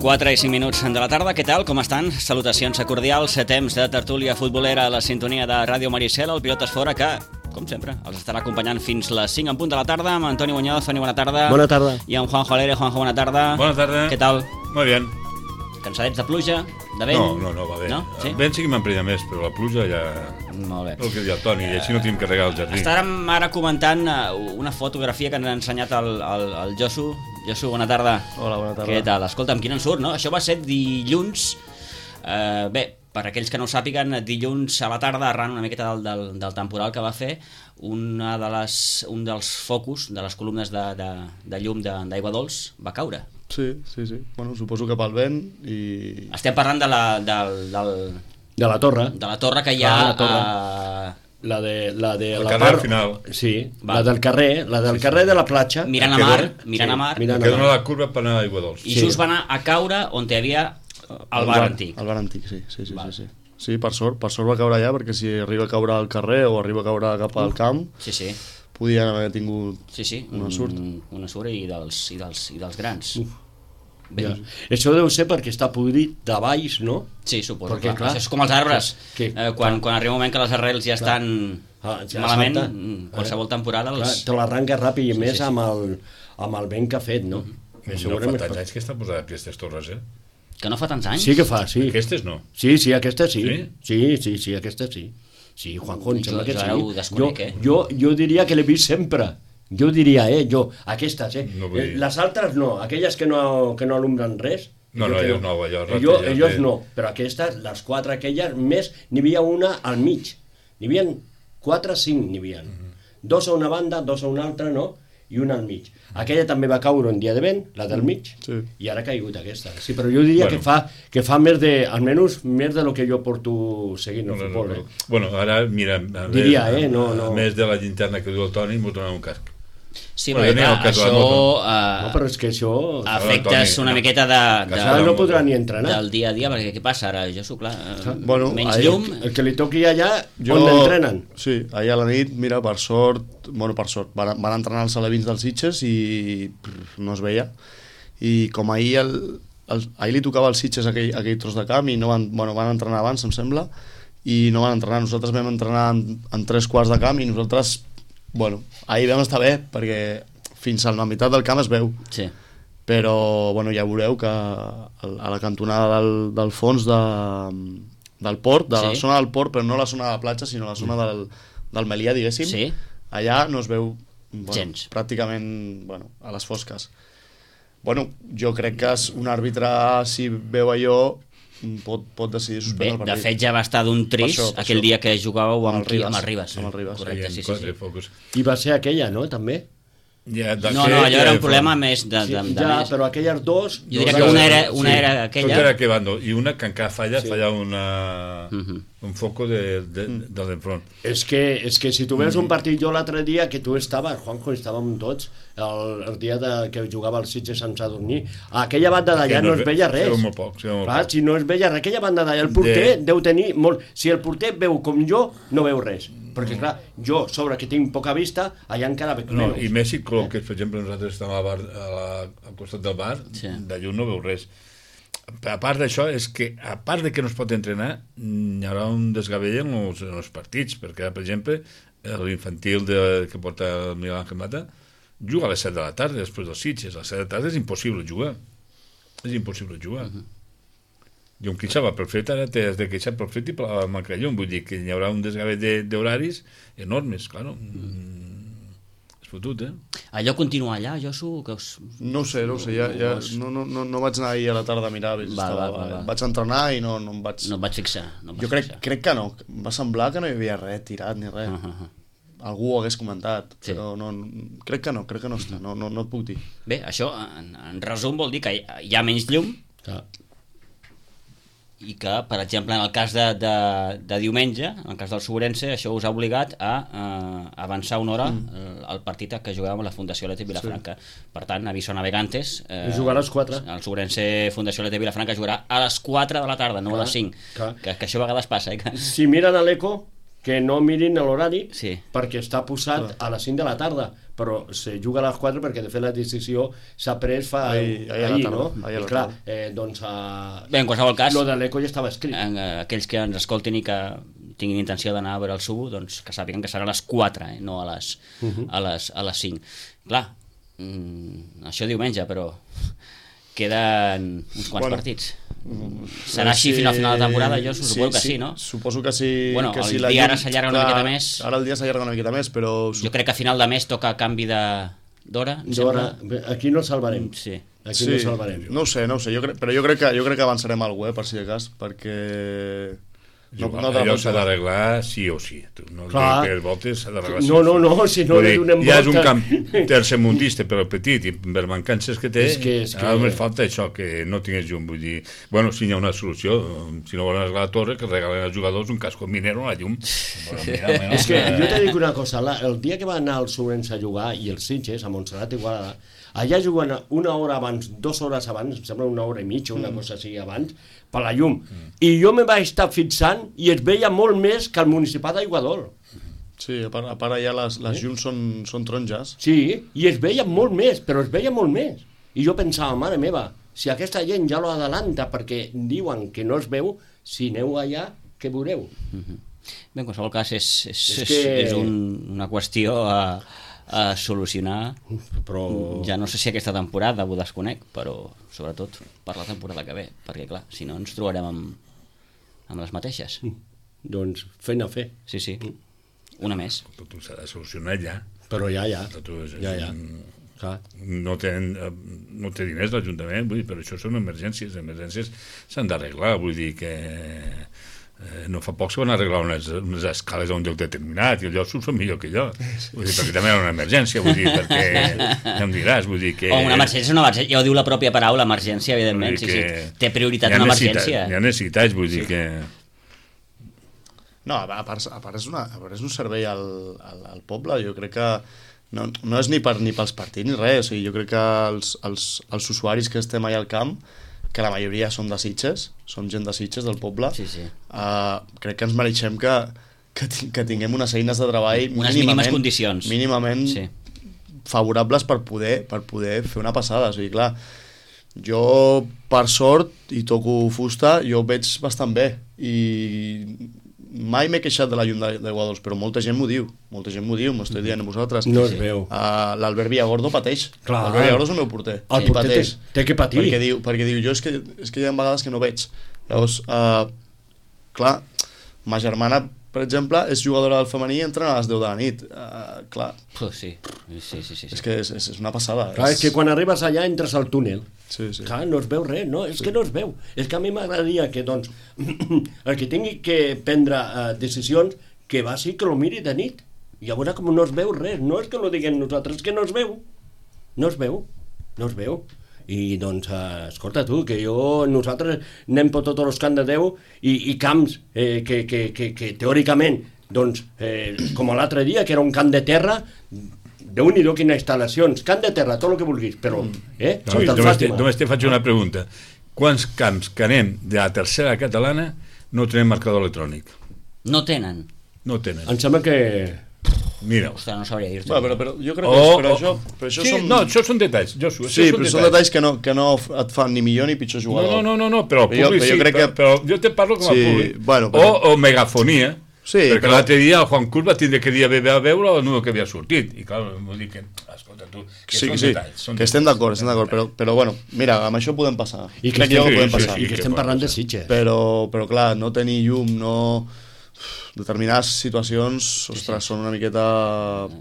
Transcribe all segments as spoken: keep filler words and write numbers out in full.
quatre i cinc minuts de la tarda, què tal? Com estan? Salutacions cordials, temps de tertúlia futbolera a la sintonia de Ràdio Maricel, el Pilotes Fora, que, com sempre, els estarà acompanyant fins les cinc en punt de la tarda, amb Antoni Muñoz. Toni, bona tarda. Bona tarda. I amb Juanjo Alegre. Juanjo, bona tarda. Bona tarda. Què tal? Molt bé. Cansadets de pluja, de vent? No, no, no, va bé. No? Sí? El vent sí que m'emprenya més, però la pluja ja... Molt bé. El que diu el Toni, i així no tenim que regar el jardí. Estàvem ara comentant una fotografia que ens ha ensenyat el, el, el Josu. Josu, bona tarda. Hola, bona tarda. Què tal? Escolta'm, quin en surt, no? Això va ser dilluns. Eh, bé, per aquells que no ho sàpiguen, dilluns a la tarda, arran una miqueta del, del, del temporal que va fer, una de les, un dels focus de les columnes de, de, de llum d'aigua dolç va caure. Sí, sí, sí. Bueno, suposo que pel vent i... Estem parlant de la, del, del, de la torre. De la torre que hi ha... Ah, la torre. A... La de la de el la carrer part... al final. Sí, va. la del carrer, la del sí, carrer sí. de la platja. Mirant a Que mar, dona- mirant sí, a mar. mirant Que dona la curva per anar a Aigua Dolç. I Sí. just va anar a caure on hi havia el bar antic. El bar antic, sí, sí, sí, Val. sí, sí. Sí, per sort, per sort va caure allà, perquè si arriba a caure al carrer o arriba a caure cap al camp, Sí, sí. podien haver tingut... Sí, sí, Una surt. un, una surt i dels, i dels, i dels grans. Bé, Ja. Això deu ser perquè està podrit de baix, no? sí, suposo. Perquè, Clar, clar, això és com els arbres. que- eh, quan, quan arriba un moment que les arrels ja estan Ah, ja malament, salta. mm, qualsevol temporada... Clar, Els... te l'arranca ràpid i Sí, més sí, sí. amb el, amb el vent que ha fet, no? Que No fa segurament tants fa- anys que està posada aquestes torres, eh? Que no fa tants anys? Sí que fa, sí. Aquestes no. Sí, sí, aquesta sí. Sí? Sí, sí, sí, aquesta sí. Sí, Juanjo, em Jo- sembla que jo ara ho sí. desconec, jo, eh? jo, jo diria que l'he vist sempre. Jo diria, eh, jo, aquestes, eh. No vull Eh, dir. Les altres no, aquelles que no, que no alumbren res. No, jo no, que elles no, allò, Ello, ratelles ellos de- no, però aquestes, les quatre aquelles, més, n'hi havia una al mig. N'hi havia quatre, cinc n'hi havia. Dos a una banda, dos a una altra, no? I una al mig. Aquella també va caure un dia de vent, la del mig, Sí. i ara ha caigut aquesta. Sí, però jo diria Bueno. que fa que fa més de, almenys més de lo que jo porto seguint el No, no, futbol, no, eh? no. Bueno, ara, mira, a Diria, més, eh, no, no. a més de la llinterna que diu el Toni, m'ho donen un casc. Sí, Bueno, perquè jo clar, n'hi ha el cas de la això... moto. No, però és que això... eh, afectes Toni, una no. miqueta de, de, Ara no podrà ni entrenar. del dia a dia, perquè què passa ara? Jo sóc clar, eh, Bueno, menys ahir- llum... El que li toqui allà, Jo... on entrenen? Sí, ahir a la nit, mira, per sort, bueno, per sort, van, van entrenar els alevins dels Sitges i prr, no es veia. I com ahir, el, el, ahir li tocava als Sitges aquell, aquell tros de camp i no van, bueno, van entrenar abans, em sembla, i no van entrenar. Nosaltres vam entrenar en, en tres quarts de camp i nosaltres, bueno, ahir vam estar bé, perquè fins a la meitat del camp es veu. Sí. Però bueno, ja veureu que a la cantonada del, del fons de, del port, de la Sí. zona del port, però no la zona de la platja, sinó la zona del, del Melià, diguéssim, Sí. allà no es veu bueno, Gens. pràcticament bueno, a les fosques. Bueno, jo crec que és un àrbitre, si veu allò, pot, pot decidir Bé, suspendre el de partit. fet ja va estar d'un trist Per això, per aquell això. dia que jugàveu amb, Amb el qui? Ribas. Amb el Ribas. Amb el Ribas. Correcte, sí, sí, Quatre sí. focus. I va ser aquella, no?, també? Ja, de No, fet, no, allò era ja un fa- problema més de, de, de, ja, més. però aquelles dos... Jo diria dos que una altres- era, una Sí, era Tot aquella... era que bando, i una que encara falla, Sí. falla una, Mhm. un foco de, de, de l'enfront. És que, és que si tu veus un partit jo l'altre dia, que tu estaves, Juanjo, estàvem tots, el, el dia de, que jugava el Sitges sense dormir, a aquella banda d'allà no, no es es ve- veia es res. veu molt poc, es veu molt Clar, poc. si no es veia res, aquella banda d'allà, el porter De- deu tenir molt... Si el porter veu com jo, no veu res. Perquè, clar, jo, sobre que tinc poca vista, allà encara veig No, menys. i més si col·loques, per exemple, nosaltres estem al, bar, a la, al costat del bar, Sí. de llum no veu res. A part d'això, és que, a part de que no es pot entrenar, hi haurà un desgavell en els, en els partits, perquè, per exemple, l'infantil de, que porta el Miguel Ángel Mata juga a les set de la tarda, després dels Sitges. A les set de la tarda és impossible jugar. És impossible jugar. Uh -huh. I un queixava pel fred, ara t'has de queixar pel fred i per la manca de llum. Vull dir que hi haurà un desgavell de- d'horaris enormes, claro. Mm. És fotut, eh? Allò continua allà, Josu? Que us... No ho sé, no ho sé, ja, ja, no, no, no, no vaig anar ahir a la tarda a mirar, Val, estava, val, val, val. vaig entrenar i no, no em vaig... No et vaig fixar. No et vaig jo crec, fixar. crec que no, em va semblar que no hi havia res tirat ni res. Uh -huh. Algú ho hagués comentat, Sí. però no, crec que no, crec que no està, no, no, no et puc dir. Bé, això, en, en resum, vol dir que hi, hi ha menys llum Clar. i que, per exemple, en el cas de, de, de diumenge, en el cas del Sobrense, això us ha obligat a eh, avançar una hora mm. el, el partit que jugàvem a la Fundació Atlètic Vilafranca. Sí. Per tant, aviso navegantes... Eh, I jugarà a les quatre. El Sobrense Fundació Atlètic Vilafranca jugarà a les quatre de la tarda, no a les cinc. Clar. Que, que això a vegades passa, eh? Que... Si miren a l'Eco, que no mirin l'horari Sí. perquè està posat a les cinc de la tarda, però se juga a les quatre perquè de fet la decisió s'ha pres fa Ahir- ahir a la ahir, tarda, no? ahir a la I clar, tarda. eh, doncs uh, Bé, en qualsevol cas, lo de l'eco ja estava escrit. en, eh, aquells que ens escoltin i que tinguin intenció d'anar a veure el Subo, doncs que sàpiguen que serà a les quatre, eh, no a les, uh -huh. a les, a les cinc. Clar, mm, això diumenge, però queden uns quants Bueno, partits. Serà així fins al final de la temporada? Jo suposo que sí, no? Suposo que sí. Bueno, que el sí, la dia ara llum- s'allarga una clar, miqueta més. Ara el dia s'allarga una miqueta més, però... Jo crec que a final de mes toca canvi de d'hora, em D'hora, sembla. aquí no el salvarem. Sí. Aquí no el salvarem. no ho sé, no ho sé, jo crec, però jo crec que, jo crec que avançarem alguna cosa, eh, per si de cas, perquè... No, te allò la pots s'ha jugar. d'arreglar sí o sí. Tu, no Clar. que les voltes s'ha d'arreglar sí No, o no, sí. no, si no Vull li dir, donem ja és un volta. camp tercermundista, però petit, i per mancances que té, És que- és que- ara només falta això, que no tingués llum. Vull dir, bueno, si hi ha una solució, si no volen arreglar la torre, que regalen als jugadors un casco minero a la llum. Bueno, mira, bueno, És que jo te dic una cosa, la, el dia que va anar el Sorens a jugar i els Sitges, a Montserrat i Igualada, allà juguen una hora abans, dues hores abans, em sembla una hora i mitja, una cosa així abans, per la llum. I jo me vaig estar fixant i es veia molt més que el municipal d'Aiguadol. Sí, a part, a part allà les, les llums són, són taronges. Sí, i es veia molt més, però es veia molt més. I jo pensava, mare meva, si aquesta gent ja lo adelanta perquè diuen que no es veu, si aneu allà, què veureu? Bé, en qualsevol cas, és, és, És és, que- és un, una qüestió a, a solucionar. Però... Ja no sé si aquesta temporada ho desconec, però sobretot per la temporada que ve, perquè clar, si no ens trobarem amb, amb les mateixes. Doncs feina a fer. Sí, sí, una més. Tot s'ha de solucionar ja. Però ja, ja. Tot és, Ja, ja. Clar. no, tenen, eh, no té diners l'Ajuntament, vull dir, però això són emergències, les emergències s'han d'arreglar, vull dir que eh, no fa poc se van arreglar unes, unes escales a un lloc determinat i allò s'ho són millor que jo, vull dir, perquè també era una emergència, vull dir, perquè ja em diràs, vull dir que... O una emergència és una emergència, ja ho diu la pròpia paraula, emergència, evidentment, Vull sí, dir sí. que Té prioritat hi ha una necessitats- emergència. Hi ha necessitats, vull dir que... No, a part, a part, és, una, a part és un servei al, al, al poble, jo crec que no, no és ni, per, ni pels partits ni res, o sigui, jo crec que els, els, els usuaris que estem allà al camp, que la majoria som de Sitges, som gent de Sitges, del poble, Sí, sí. uh, crec que ens mereixem que, que, ti- que tinguem unes eines de treball Unes mínimes mínimament, condicions. mínimament Sí. favorables per poder, per poder fer una passada, o sigui, clar, jo, per sort, i toco fusta, jo ho veig bastant bé, i mai m'he queixat de la llum de- d'Aiguadols, però molta gent m'ho diu, molta gent m'ho diu, m'ho estic dient a vosaltres. No es veu. Uh, L'Albert Villagordo pateix. Clar. L'Albert Villagordo és el meu porter. El I porter té, pateix. té que patir. Perquè diu, perquè diu, jo és que, és que hi ha vegades que no veig. Llavors, uh, clar, ma germana, per exemple, és jugadora del femení i entrena a les deu de la nit. Uh, clar, Puh, sí. Sí, sí, sí, sí. és que és, és, és una passada. Clar, és que quan arribes allà entres al túnel. Sí, sí. Clar, no es veu res, no? És que no es veu. És que a mi m'agradaria que, doncs, el que tingui que prendre uh, decisions, que va sí que lo miri de nit. I a veure com no es veu res. No és que lo diguem nosaltres, és que no es veu. No es veu. No es veu. I, doncs, uh, escolta tu, que jo, nosaltres anem per tots els camps de Déu i, i camps eh, que, que, que, que teòricament, doncs, eh, com l'altre dia, que era un camp de terra, Déu-n'hi-do quines instal·lacions, camp de terra, tot el que vulguis, però, eh, No, Santa només, te, Fàtima. només te faig una pregunta. Quants camps que anem de la tercera catalana no tenen marcador electrònic? No tenen. No tenen. Em sembla que... Mira. Ostres, no sabria dir-te. Bueno, però, però jo crec O- que és, però o- això, però això sí, són... no, això són detalls, Josu, això Sí, però són detalls que no, que no et fan ni millor ni pitjor No, jugador. no, no, no, no, però el Jo- públic però jo sí, crec però, que- però jo te parlo com a Sí, públic. bueno, però- o, o megafonia, Sí, perquè però- l'altre dia el Juan Cruz va tindre que dir a veure, a veure el número que havia sortit, i clar, vull dir que, escolta tu, que Sí, són que sí, detalls. Són que estem detalls. d'acord, estem d'acord, però, però bueno, mira, amb això podem passar. I que, Crec estem, jo que podem sí, passar. i que que estem pot parlant de passar. Sitges. Però, però clar, no tenir llum, no... Determinades situacions, ostres, són una miqueta...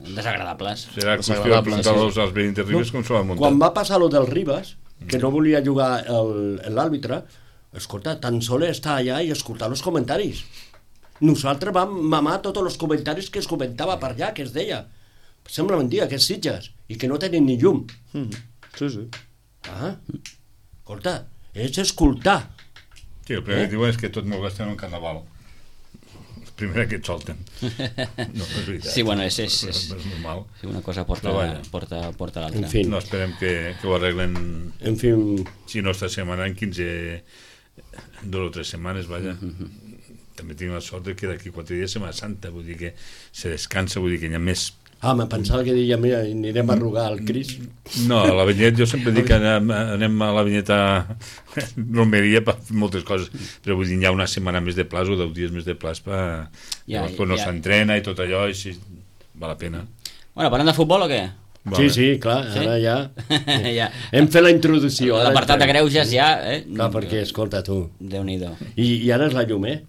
Desagradables. Serà qüestió de Desagradable, preguntar-los als veïns de Ribes com s'ho van muntar. Quan va passar lo del Ribas, que no volia jugar el- l'àrbitre, escolta, tan sol estar allà i escoltar els comentaris. Nosaltres vam mamar tots els comentaris que es comentava per allà, que es deia. Sembla mentida, que és Sitges, i que no tenen ni llum. Mm, sí, sí. Ah, escolta, és escoltar. Sí, el primer que diuen és que tot m'ho gasten en un carnaval. El primer que et solten. No, és veritat. Sí, bueno, és- és- és, és- és normal. Sí, una cosa porta, Però vaja. porta, porta l'altra. En fi, No esperem que, que ho arreglen, en fi, si no esta setmana, en quinze, dos o tres setmanes, vaja. també tinc la sort de que d'aquí quatre dies Setmana Santa, vull dir que se descansa, vull dir que hi ha més... Ah, me pensava que deia, mira, anirem a rogar al Cris. No, a la Vinyet jo sempre dic que anem, anem a la Vinyeta romeria per fer moltes coses, però vull dir, hi ha una setmana més de plaç o deu dies més de plaç per... Ja, Llavors, no ja. s'entrena i tot allò, i si val la pena. Bueno, parlem de futbol o què? Sí, sí, clar, Sí? ara ja... ja. Hem fet la introducció. ara L'apartat de entrem. greuges ja, eh? Clar, perquè, escolta, tu, Déu-n'hi-do. I, i ara és la llum, eh?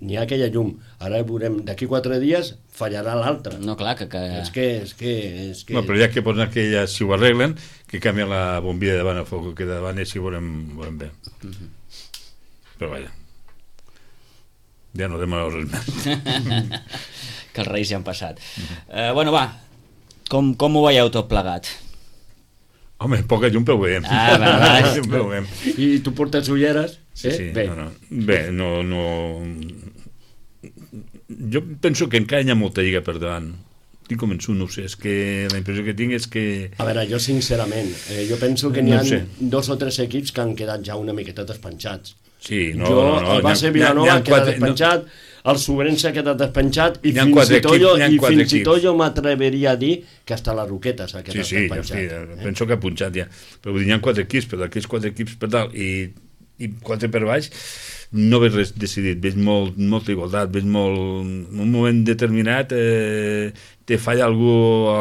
N'hi ha aquella llum. Ara veurem, d'aquí quatre dies fallarà l'altra. No, clar, que... que... És que... És que, és que... No, però ja que posen aquella, si ho arreglen, que canvien la bombilla de davant a foc, que de davant i així ho veurem, ho veurem bé. Mhm. Però vaja. Ja no demaneu res més. que els reis ja han passat. Eh, bueno, va, com, com ho veieu tot plegat? Home, poca llum, però ho veiem. Ah, va, va. Poca llum, però ho veiem. I tu portes ulleres? Sí, eh? sí, Bé. no, no. Bé, no, no... Jo penso que encara hi ha molta lliga per davant. Estic convençut, no ho sé, és que la impressió que tinc és que... A veure, jo sincerament, eh, jo penso que n'hi No ha ho sé. dos o tres equips que han quedat ja una miqueta despenjats. Sí, no, jo, no, no. el base Vilanova ha quedat despenjat, el Sobrense ha quedat despenjat i N'hi ha fins, quatre i tot, jo, equips, n'hi ha i quatre fins i tot equips. jo m'atreveria a dir que hasta la Roqueta s'ha Sí, quedat sí, jo despenjat. sí, eh? penso que ha punxat ja. Però vull dir, hi ha quatre equips, però d'aquests quatre equips per dalt i, i quatre per baix, no veig res decidit, veig molt, molta igualtat, veig molt... En un moment determinat eh, te falla algú a,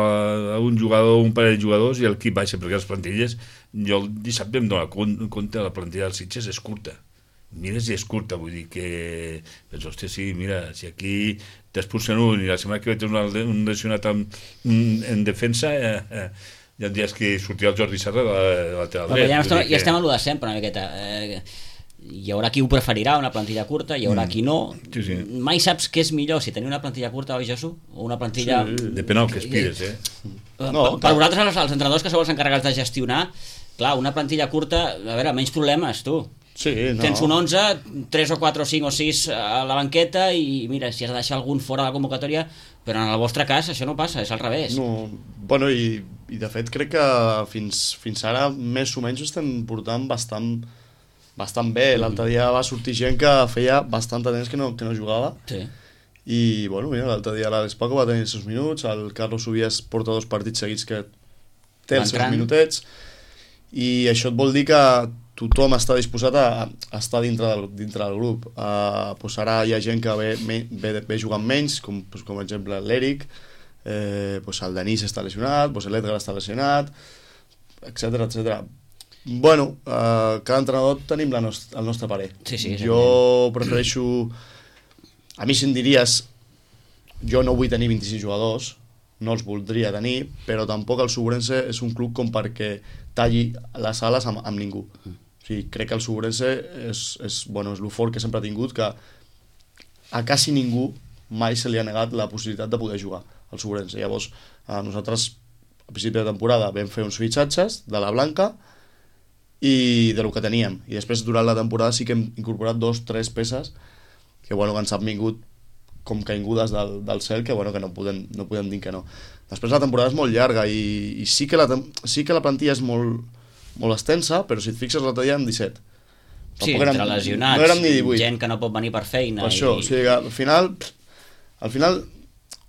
a un jugador o un parell de jugadors i el equip baixa, perquè les plantilles, jo el dissabte em dono compte que la plantilla dels Sitges és curta. Mires i és curta, vull dir que... Doncs, hòstia, sí, mira, si aquí t'expulsen un i la setmana que ve tens un, un lesionat en, en defensa, eh, eh, hi ha dies que sortirà el Jordi Serra de la, de la lateral Però dret. ja, vull estem, dir ja que- estem en lo de sempre, una miqueta. Eh, hi haurà qui ho preferirà, una plantilla curta, hi haurà Mm. qui no. Sí, sí. Mai saps què és millor, si tenir una plantilla curta, oi, Jesús? O una plantilla... Depèn del que aspires, eh? No, No, per, per vosaltres, els, els entrenadors que sou els encarregats de gestionar, clar, una plantilla curta, a veure, menys problemes, tu. Sí, no. Tens un onze, tres o quatre o cinc o sis a la banqueta i mira, si has de deixar algun fora de la convocatòria, però en el vostre cas això no passa, és al revés. No, bueno, i, i de fet crec que fins, fins ara més o menys ho estem portant bastant, bastant bé. L'altre dia va sortir gent que feia bastant de temps que no, que no jugava Sí. i bueno, mira, l'altre dia l'Àlex Paco va tenir els seus minuts, el Carlos Subias porta dos partits seguits que té Va els seus entrant. minutets i això et vol dir que tothom està disposat a, a estar dintre del, dintre del grup. Uh, pues ara hi ha gent que ve, ve, ve jugant menys, com, pues, com per exemple l'Eric, eh, pues el Denis està lesionat, pues l'Edgar està lesionat, etcètera etcètera. Bueno, uh, cada entrenador tenim la nost el nostre parer. Sí, sí, jo prefereixo... A mi si em diries, jo no vull tenir vint-i-sis jugadors, no els voldria tenir, però tampoc el Sobrense és un club com perquè talli les ales amb, amb ningú. O sigui, crec que el Sobrense és, és, bueno, és lo fort que sempre ha tingut, que a quasi ningú mai se li ha negat la possibilitat de poder jugar al Sobrense. Llavors, a nosaltres, a principi de temporada, vam fer uns fitxatges de la Blanca i de lo que teníem. I després, durant la temporada, sí que hem incorporat dos, tres peces que, bueno, que ens han vingut com caigudes del, del cel, que, bueno, que no podem, no podem dir que no. Després la temporada és molt llarga i, i sí, que la, sí que la plantilla és molt, molt extensa, però si et fixes l'altre dia en disset. Sí, Tampoc entre lesionats, no érem ni divuit. gent que no pot venir per feina. Per això, i... o sigui, al final, al final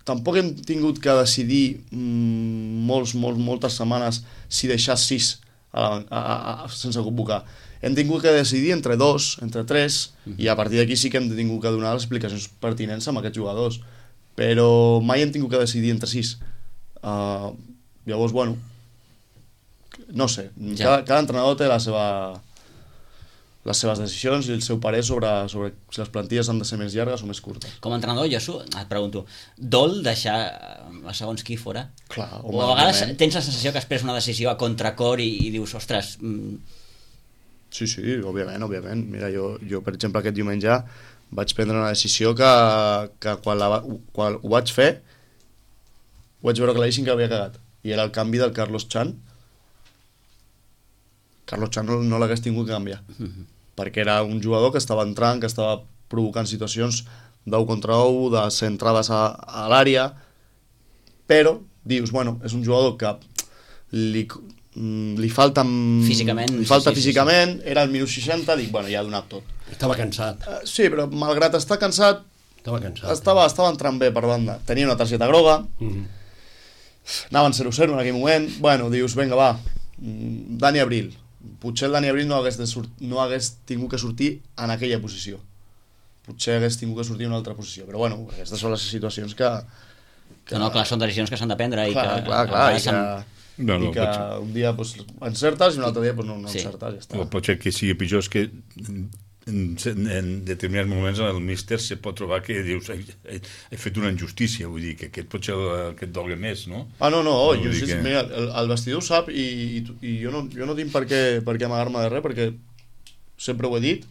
tampoc hem tingut que decidir mmm, molts, molts, moltes setmanes si deixar sis a la, a, a, a, sense convocar. Hem tingut que decidir entre dos, entre tres, mm-hmm. i a partir d'aquí sí que hem tingut que donar les explicacions pertinents amb aquests jugadors. Però mai hem tingut que decidir entre sis. Uh, llavors, bueno, no sé, Ja. cada, cada entrenador té la seva, les seves decisions i el seu parer sobre, sobre si les plantilles han de ser més llargues o més curtes. Com a entrenador, Josu, et pregunto, dol deixar a segons qui fora? Clar, O a vegades tens la sensació que has pres una decisió a contracor i, i dius, ostres... Mm... Sí, sí, òbviament, òbviament. Mira, jo, jo per exemple, aquest diumenge vaig prendre una decisió que, que quan, la, quan ho vaig fer ho vaig veure claríssim que havia cagat. I era el canvi del Carlos Chan. Carlos Chan no, no l'hagués tingut que canviar. Mm-hmm. Perquè era un jugador que estava entrant, que estava provocant situacions d'u contra u, de ser entrades a, a l'àrea, però dius, bueno, és un jugador que li, li falta Físicament, li falta sí, sí, físicament, sí, sí. Era el minut seixanta, dic, bueno, ja ha donat tot. Estava cansat. Uh, sí, però malgrat estar cansat, Estava cansat. estava, estava entrant bé per banda. Tenia una targeta groga, Mm. anaven zero zero en aquell moment. Bueno, dius, vinga, va, mm, Dani Abril. Potser el Dani Abril no hagués, de sort... no hagués tingut que sortir en aquella posició. Potser hagués tingut que sortir en una altra posició. Però bueno, aquestes són les situacions que... que... No, no, clar, són decisions que s'han de prendre i clar, que... clar, clar, i que, no, no, i que un dia pues, encertes i un altre dia pues, no, no Sí. encertes, ja està. O pot ser que sigui pitjor, és que en, en determinats moments el míster se pot trobar que dius he, he, he fet una injustícia, vull dir que aquest pot ser el que et dolga més, no? Ah, no, no, No, jo, vull dir sí, que- mira, el, el vestidor ho sap i, i, i jo, no, jo no tinc per què, per què amagar-me de res, perquè sempre ho he dit,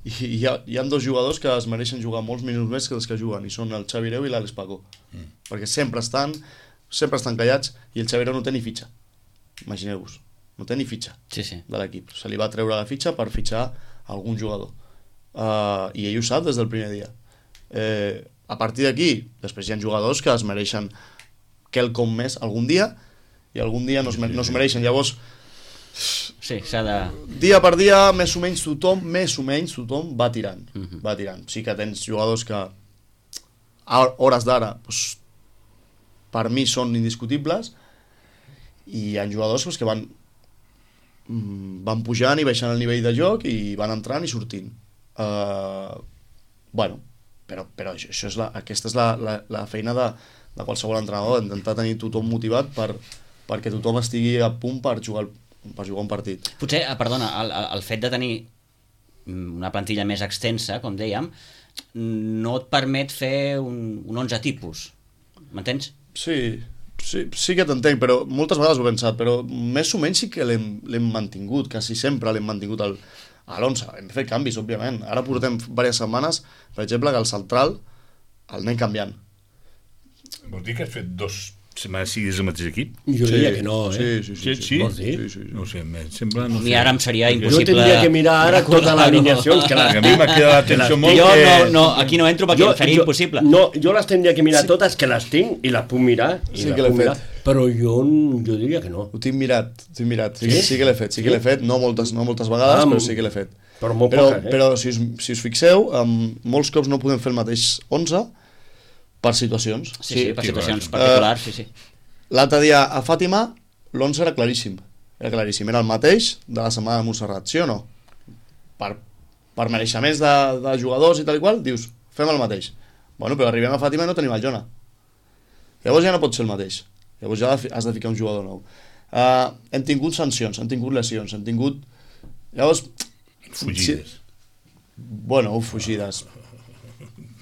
i hi ha, hi ha dos jugadors que es mereixen jugar molts minuts més que els que juguen, i són el Xavi Hereu i l'Àlex Paco, mm. perquè sempre estan sempre estan callats, i el Xavi Hereu no té ni fitxa, imagineu-vos, no té ni fitxa Sí, sí. de l'equip, se li va treure la fitxa per fitxar algun jugador, uh, i ell ho sap des del primer dia. Eh, a partir d'aquí, després hi ha jugadors que es mereixen quelcom més algun dia, i algun dia no es, no es mereixen, llavors Sí, s'ha de... dia per dia, més o menys tothom, més o menys tothom va tirant, uh Mhm. -huh. va tirant. Sí que tens jugadors que a hores d'ara, doncs, per mi són indiscutibles, i hi ha jugadors doncs, que van mm, van pujant i baixant el nivell de joc i van entrant i sortint. Uh, bueno, però, però això, això és la, aquesta és la, la, la feina de, de qualsevol entrenador, intentar tenir tothom motivat per, perquè tothom estigui a punt per jugar el per jugar un partit. Potser, eh, perdona, el, el fet de tenir una plantilla més extensa, com dèiem, no et permet fer un, un onze tipus. M'entens? Sí, sí, sí que t'entenc, però moltes vegades ho he pensat, però més o menys sí que l'hem l'hem mantingut, quasi sempre l'hem mantingut al, a l'onze. Hem fet canvis, òbviament. Ara portem diverses setmanes, per exemple, que el central el anem canviant. Vols dir que has fet dos setmanes siguis el mateix equip? Jo Sí, diria que no, eh? sí, sí, Sí, sí? Vols dir? Sí, sí, sí. No ho sé, em sembla... No A mi sé. ara em seria Perquè- Jo impossible... tindria que mirar ara totes les alineacions que les A mi m'ha quedat l'atenció molt Jo que... no, no, aquí no entro perquè em faria impossible. No, jo les tindria que mirar totes, que les tinc i les puc mirar. I Sí les que l'he puc mirar, fet. Però jo, jo diria que no. Ho tinc mirat, ho tinc mirat. Sí, Sí? sí que l'he fet, sí que l'he fet, no moltes, no moltes vegades, Ah, però sí que l'he fet. Però molt Però, poques, eh? però si, us, si us fixeu, um, molts cops no podem fer el mateix onze per situacions. Sí, sí, per sí, situacions clar. particulars, sí, sí. L'altre dia a Fàtima l'onze era claríssim, era claríssim, era el mateix de la setmana de Montserrat, sí o no? Per, per mereixements de, de jugadors i tal i qual, dius, fem el mateix. Bueno, però arribem a Fàtima i no tenim el Jona. Llavors ja no pot ser el mateix. Llavors ja has de ficar un jugador nou. Uh, hem tingut sancions, hem tingut lesions, hem tingut... Llavors... Fugides. Sí, bueno, fugides.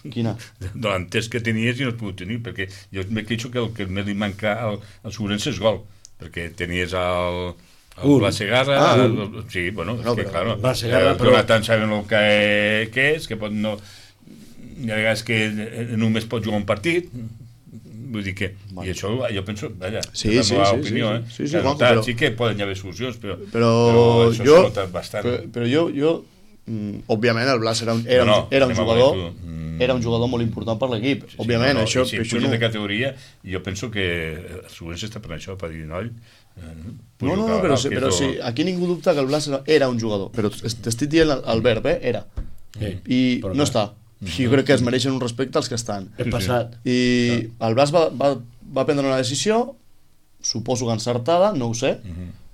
Quina? De l'entès que tenies i no has pogut tenir, perquè jo me queixo que el que més li manca al, al Sobrense és gol, perquè tenies el... el Un. Blas Segarra, Ah, el, el, sí, bueno, No, és que, però claro, Blas Segarra, el però- Jonathan saben el que, que és, que pot no... Hi ha vegades que només pot jugar un partit, vull dir que... Bueno. I això, jo penso, vaja, Sí, és la sí, meva sí, opinió, sí, eh? sí, sí, Que Juanjo, notat, però- sí que poden haver solucions, però, Però, això jo... s'ha notat bastant. Però, però jo, jo mm, òbviament el Blas era un, era, No, no, un, era un anem a jugador veure tu. Mm. era un jugador molt important per l'equip, Sí, òbviament, no, no, això, i si això puja no... de categoria, jo penso que el Sobrense està per això, per dir, noi, eh, No, no, no, però, sí, però sí, aquí ningú dubta que el Blas era, era un jugador, però t'estic dient el, el verb, eh? Era. Sí, I però no clar. està. Jo crec que es mereixen un respecte als que estan. He passat. I el Blas va, va, va prendre una decisió, suposo que encertada, no ho sé,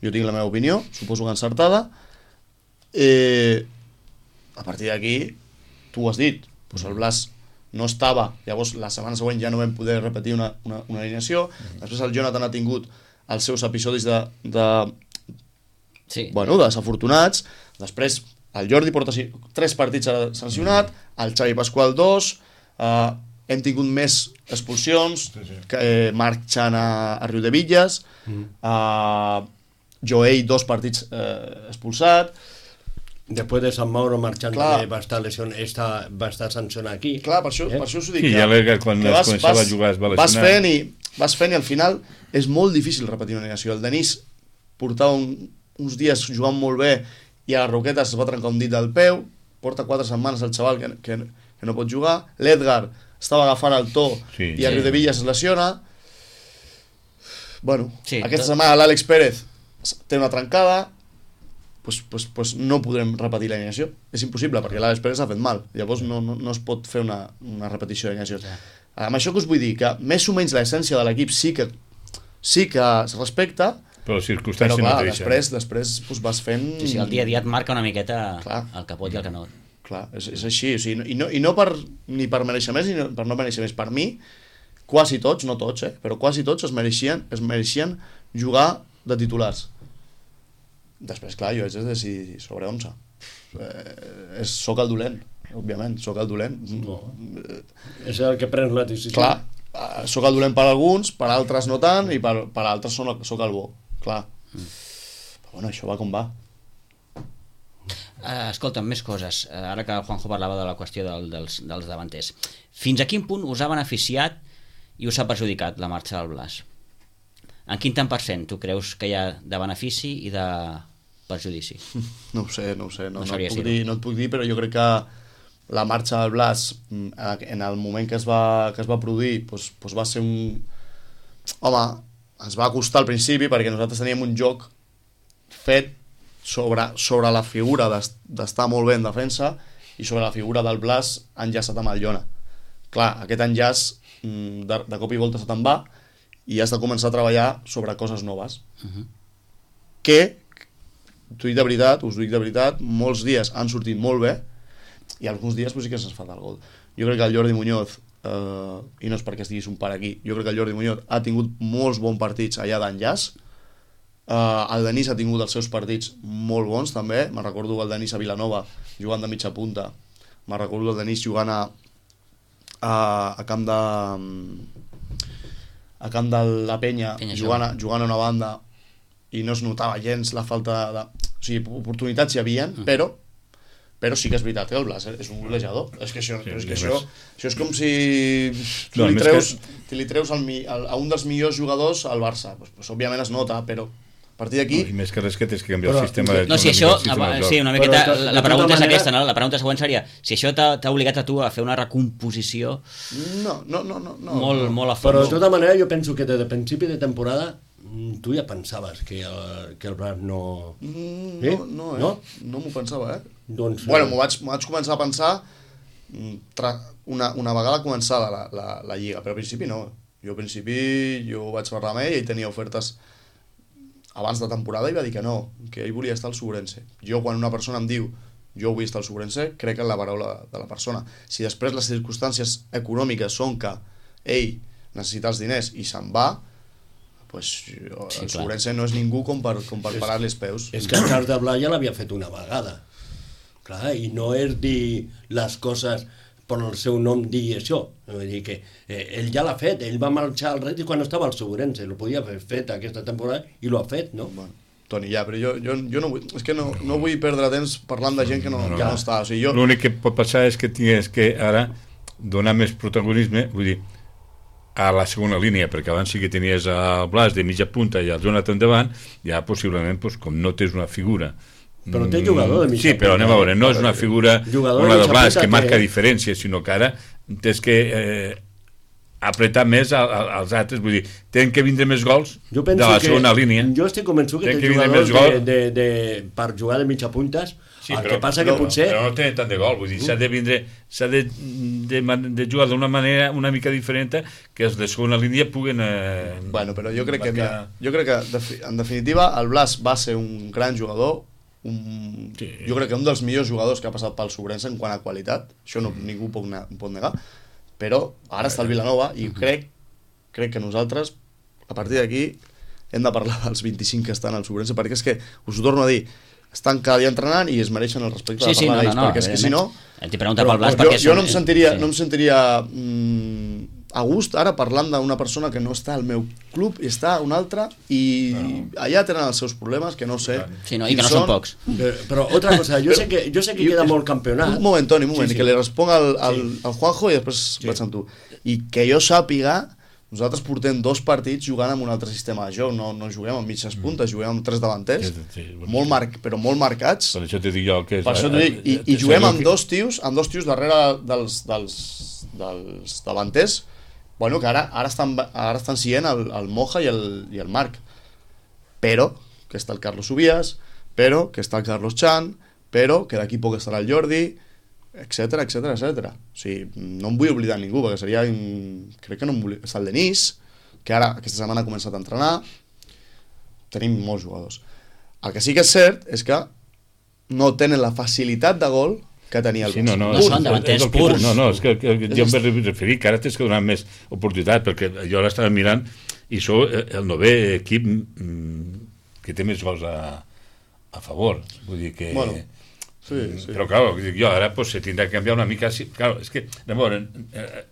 jo tinc la meva opinió, suposo que encertada. Eh, a partir d'aquí, tu ho has dit, doncs el Blas no estava, llavors la setmana següent ja no vam poder repetir una, una, una alineació, després el Jonathan ha tingut els seus episodis de, de, Sí. bueno, desafortunats, després el Jordi porta si- tres partits ara sancionat, el Xavi Pasqual dos, eh, hem tingut més expulsions, Sí, sí. que eh, marxant a, a Riudebitlles, Mm. eh, Joey dos partits eh, expulsat. Després de Sant Mauro marxant, Clar. que va estar, lesion, està, va estar sancionat aquí. Clar, per això, Eh? per això us ho dic. Sí, que- ja l'he- quan que es començava a jugar es va vas lesionar. fent, i, vas fent i al final és molt difícil repetir una alineació. El Denis portava un, uns dies jugant molt bé i a la Roqueta es va trencar un dit del peu, porta quatre setmanes el xaval que, que, que no pot jugar. L'Edgar estava agafant el to Sí, i a sí. Riudebitlles es lesiona. Bueno, Sí, aquesta tot- setmana l'Àlex Pérez té una trencada. pues, pues, pues no podrem repetir l'alineació. És impossible, perquè l'Àlex Pérez ha fet mal. Llavors no, no, no es pot fer una, una repetició d'alineació. Ja. Amb això que us vull dir, que més o menys l'essència de l'equip sí que sí que es respecta, però les circumstàncies però clar, no després, després pues, vas fent... Sí, sí, el dia a dia et marca una miqueta clar. El que pot i el que no. Clar, és, és així, o sigui, i no, i no per, ni per mereixer més ni no, per no mereixer més. Per mi, quasi tots, no tots, eh, però quasi tots es mereixien, es mereixien jugar de titulars. Després, clar, jo haig de decidir sobre onze. Eh, és, soc el dolent, òbviament, soc el dolent. No. És el que prens la decisió. Clar, eh, soc el dolent per alguns, per altres no tant, i per, per altres soc, soc el bo, clar. Mm. Però bueno, això va com va. Uh, escolta'm, més coses. Uh, ara que el Juanjo parlava de la qüestió del, dels, dels davanters. Fins a quin punt us ha beneficiat i us ha perjudicat la marxa del Blas? En quin tant per cent tu creus que hi ha de benefici i de perjudici? No ho sé, no ho sé. No, no, no, et puc dir, no et puc dir, però jo crec que la marxa del Blas, en el moment que es va, que es va produir, doncs, doncs va ser un... Home, ens va costar al principi perquè nosaltres teníem un joc fet sobre, sobre la figura d'estar molt bé en defensa i sobre la figura del Blas enllaçat amb el Llona. Clar, aquest enllaç de, de cop i volta se te'n va i has de començar a treballar sobre coses noves. Uh-huh. Que, t'ho dic de veritat, us ho dic de veritat, molts dies han sortit molt bé i alguns dies pues, sí que se'ns fa el gol. Jo crec que el Jordi Muñoz, eh, i no és perquè estiguis un par aquí, jo crec que el Jordi Muñoz ha tingut molts bons partits allà d'enllaç. Uh, el Denis ha tingut els seus partits molt bons també, me'n recordo el Denis a Vilanova jugant de mitja punta, me'n recordo el Denis jugant a, a, a camp de a camp de la Penya, Penya jugant, a, jugant a una banda i no es notava gens la falta de... O sigui, oportunitats hi havien, mm. però però sí que és veritat que el Blas és un golejador. És que això, sí, és, que això, això és com si tu no, li treus, que... li treus al, al, a un dels millors jugadors al Barça. Pues, pues, òbviament es nota, però a partir d'aquí... No, i més que res que tens que canviar però, el sistema de... No, si això... Sí, una miqueta... Però, la, la pregunta manera... és aquesta, no? La pregunta següent seria si això t'ha obligat a tu a fer una recomposició... No, no, no, no. no molt, no. molt a fons. Però de tota manera jo penso que des de principi de temporada tu ja pensaves que el, que el Blas no... Mm, no, eh? no, eh? No, no m'ho pensava, eh? Doncs... Bueno, m'ho vaig, vaig començar a pensar tra, una, una vegada començada la, la, la Lliga, però al principi no. Jo al principi jo vaig parlar amb ell i tenia ofertes abans de temporada i va dir que no, que ell volia estar al Sobrense. Jo quan una persona em diu jo vull estar al Sobrense, crec en la paraula de la persona. Si després les circumstàncies econòmiques són que ell necessita els diners i se'n va, pues, jo, sí, el Sobrense no és ningú com per, com per parar-li els peus. És que el Charles de Blai ja l'havia fet una vegada. Clar, i no és dir les coses per el seu nom dir això. Vull dir que eh, ell ja l'ha fet, ell va marxar al Retis quan estava al Sobrense, el podia haver fet aquesta temporada i l'ho ha fet, no? Bueno, Toni, ja, però jo, jo, jo no vull, és que no, no vull perdre temps parlant de gent que no, no, no. Que no està. O sigui, jo... L'únic que pot passar és que tingués que ara donar més protagonisme, vull dir, a la segona línia, perquè abans sí que tenies el Blas de mitja punta i el Jonathan davant, ja possiblement, doncs, com no tens una figura... Però té jugador de mitja punta. Sí, però anem a veure, no és una figura com la de Blas que marca diferència, sinó que ara tens que eh, apretar més a, a, als altres, vull dir, tenen que vindre més gols de la segona línia. Jo estic convençut que té jugadors de, de, de, per jugar de mitja puntes. Sí, el però, que passa que no, potser... Però no té tant de gol, vull dir, s'ha de vindre, s'ha de, de, de jugar d'una manera una mica diferent que els de segona línia puguen... Eh, bueno, però jo crec marcar... que, jo crec que, en definitiva, el Blas va ser un gran jugador, un, sí. Jo crec que un dels millors jugadors que ha passat pel Sobrense en quant a qualitat, això no, mm. ningú pot, ne pot negar, però ara està el Vilanova i mm-hmm. crec, crec que nosaltres, a partir d'aquí, hem de parlar dels vint-i-cinc que estan al Sobrense, perquè és que, us ho torno a dir, estan cada dia entrenant i es mereixen el respecte sí, de parlar sí, no, d'ells, no, no, perquè és que si no... T'hi pregunta pel Blas perquè... Jo, jo no em sentiria, sí. no em sentiria mm, a gust ara parlant d'una persona que no està al meu club i està a un altre i no. allà tenen els seus problemes que no sé sí, no, i que no són pocs però, però otra cosa, jo sé que, jo sé que queda molt campionat un moment Toni, un moment, sí, sí. que li responc al, al, sí. al Juanjo i després sí. vaig amb tu i que jo sàpiga nosaltres portem dos partits jugant amb un altre sistema de joc, no, no juguem amb mitges puntes, juguem amb tres davanters, sí, sí, sí, molt mar però molt marcats. Per això t'he dit jo que és... Per això t'ho dic, i, i juguem amb dos tios, amb dos tios darrere dels, dels, dels davanters, bueno, que ara, ara estan, ara estan siguent el, el Moja i el, i el Marc. Però, que està el Carlos Subias, però que està el Carlos Chan, però que d'aquí poc estarà el Jordi, etcètera, etcètera, etcètera. O sigui, no em vull oblidar ningú, perquè seria... Crec que no em vull... Està el Denis, que ara aquesta setmana ha començat a entrenar. Tenim molts jugadors. El que sí que és cert és que no tenen la facilitat de gol que tenia el sí, no, no, no són davanters purs. No, no, és que, que, que jo em vaig referir que ara tens que donar més oportunitat, perquè jo l'estava mirant i sou el novè equip que té més gols a, a favor. Vull dir que... Bueno, sí, sí. Però, clar, jo ara pues, se tindrà que canviar una mica... Sí, clar, és que, llavors,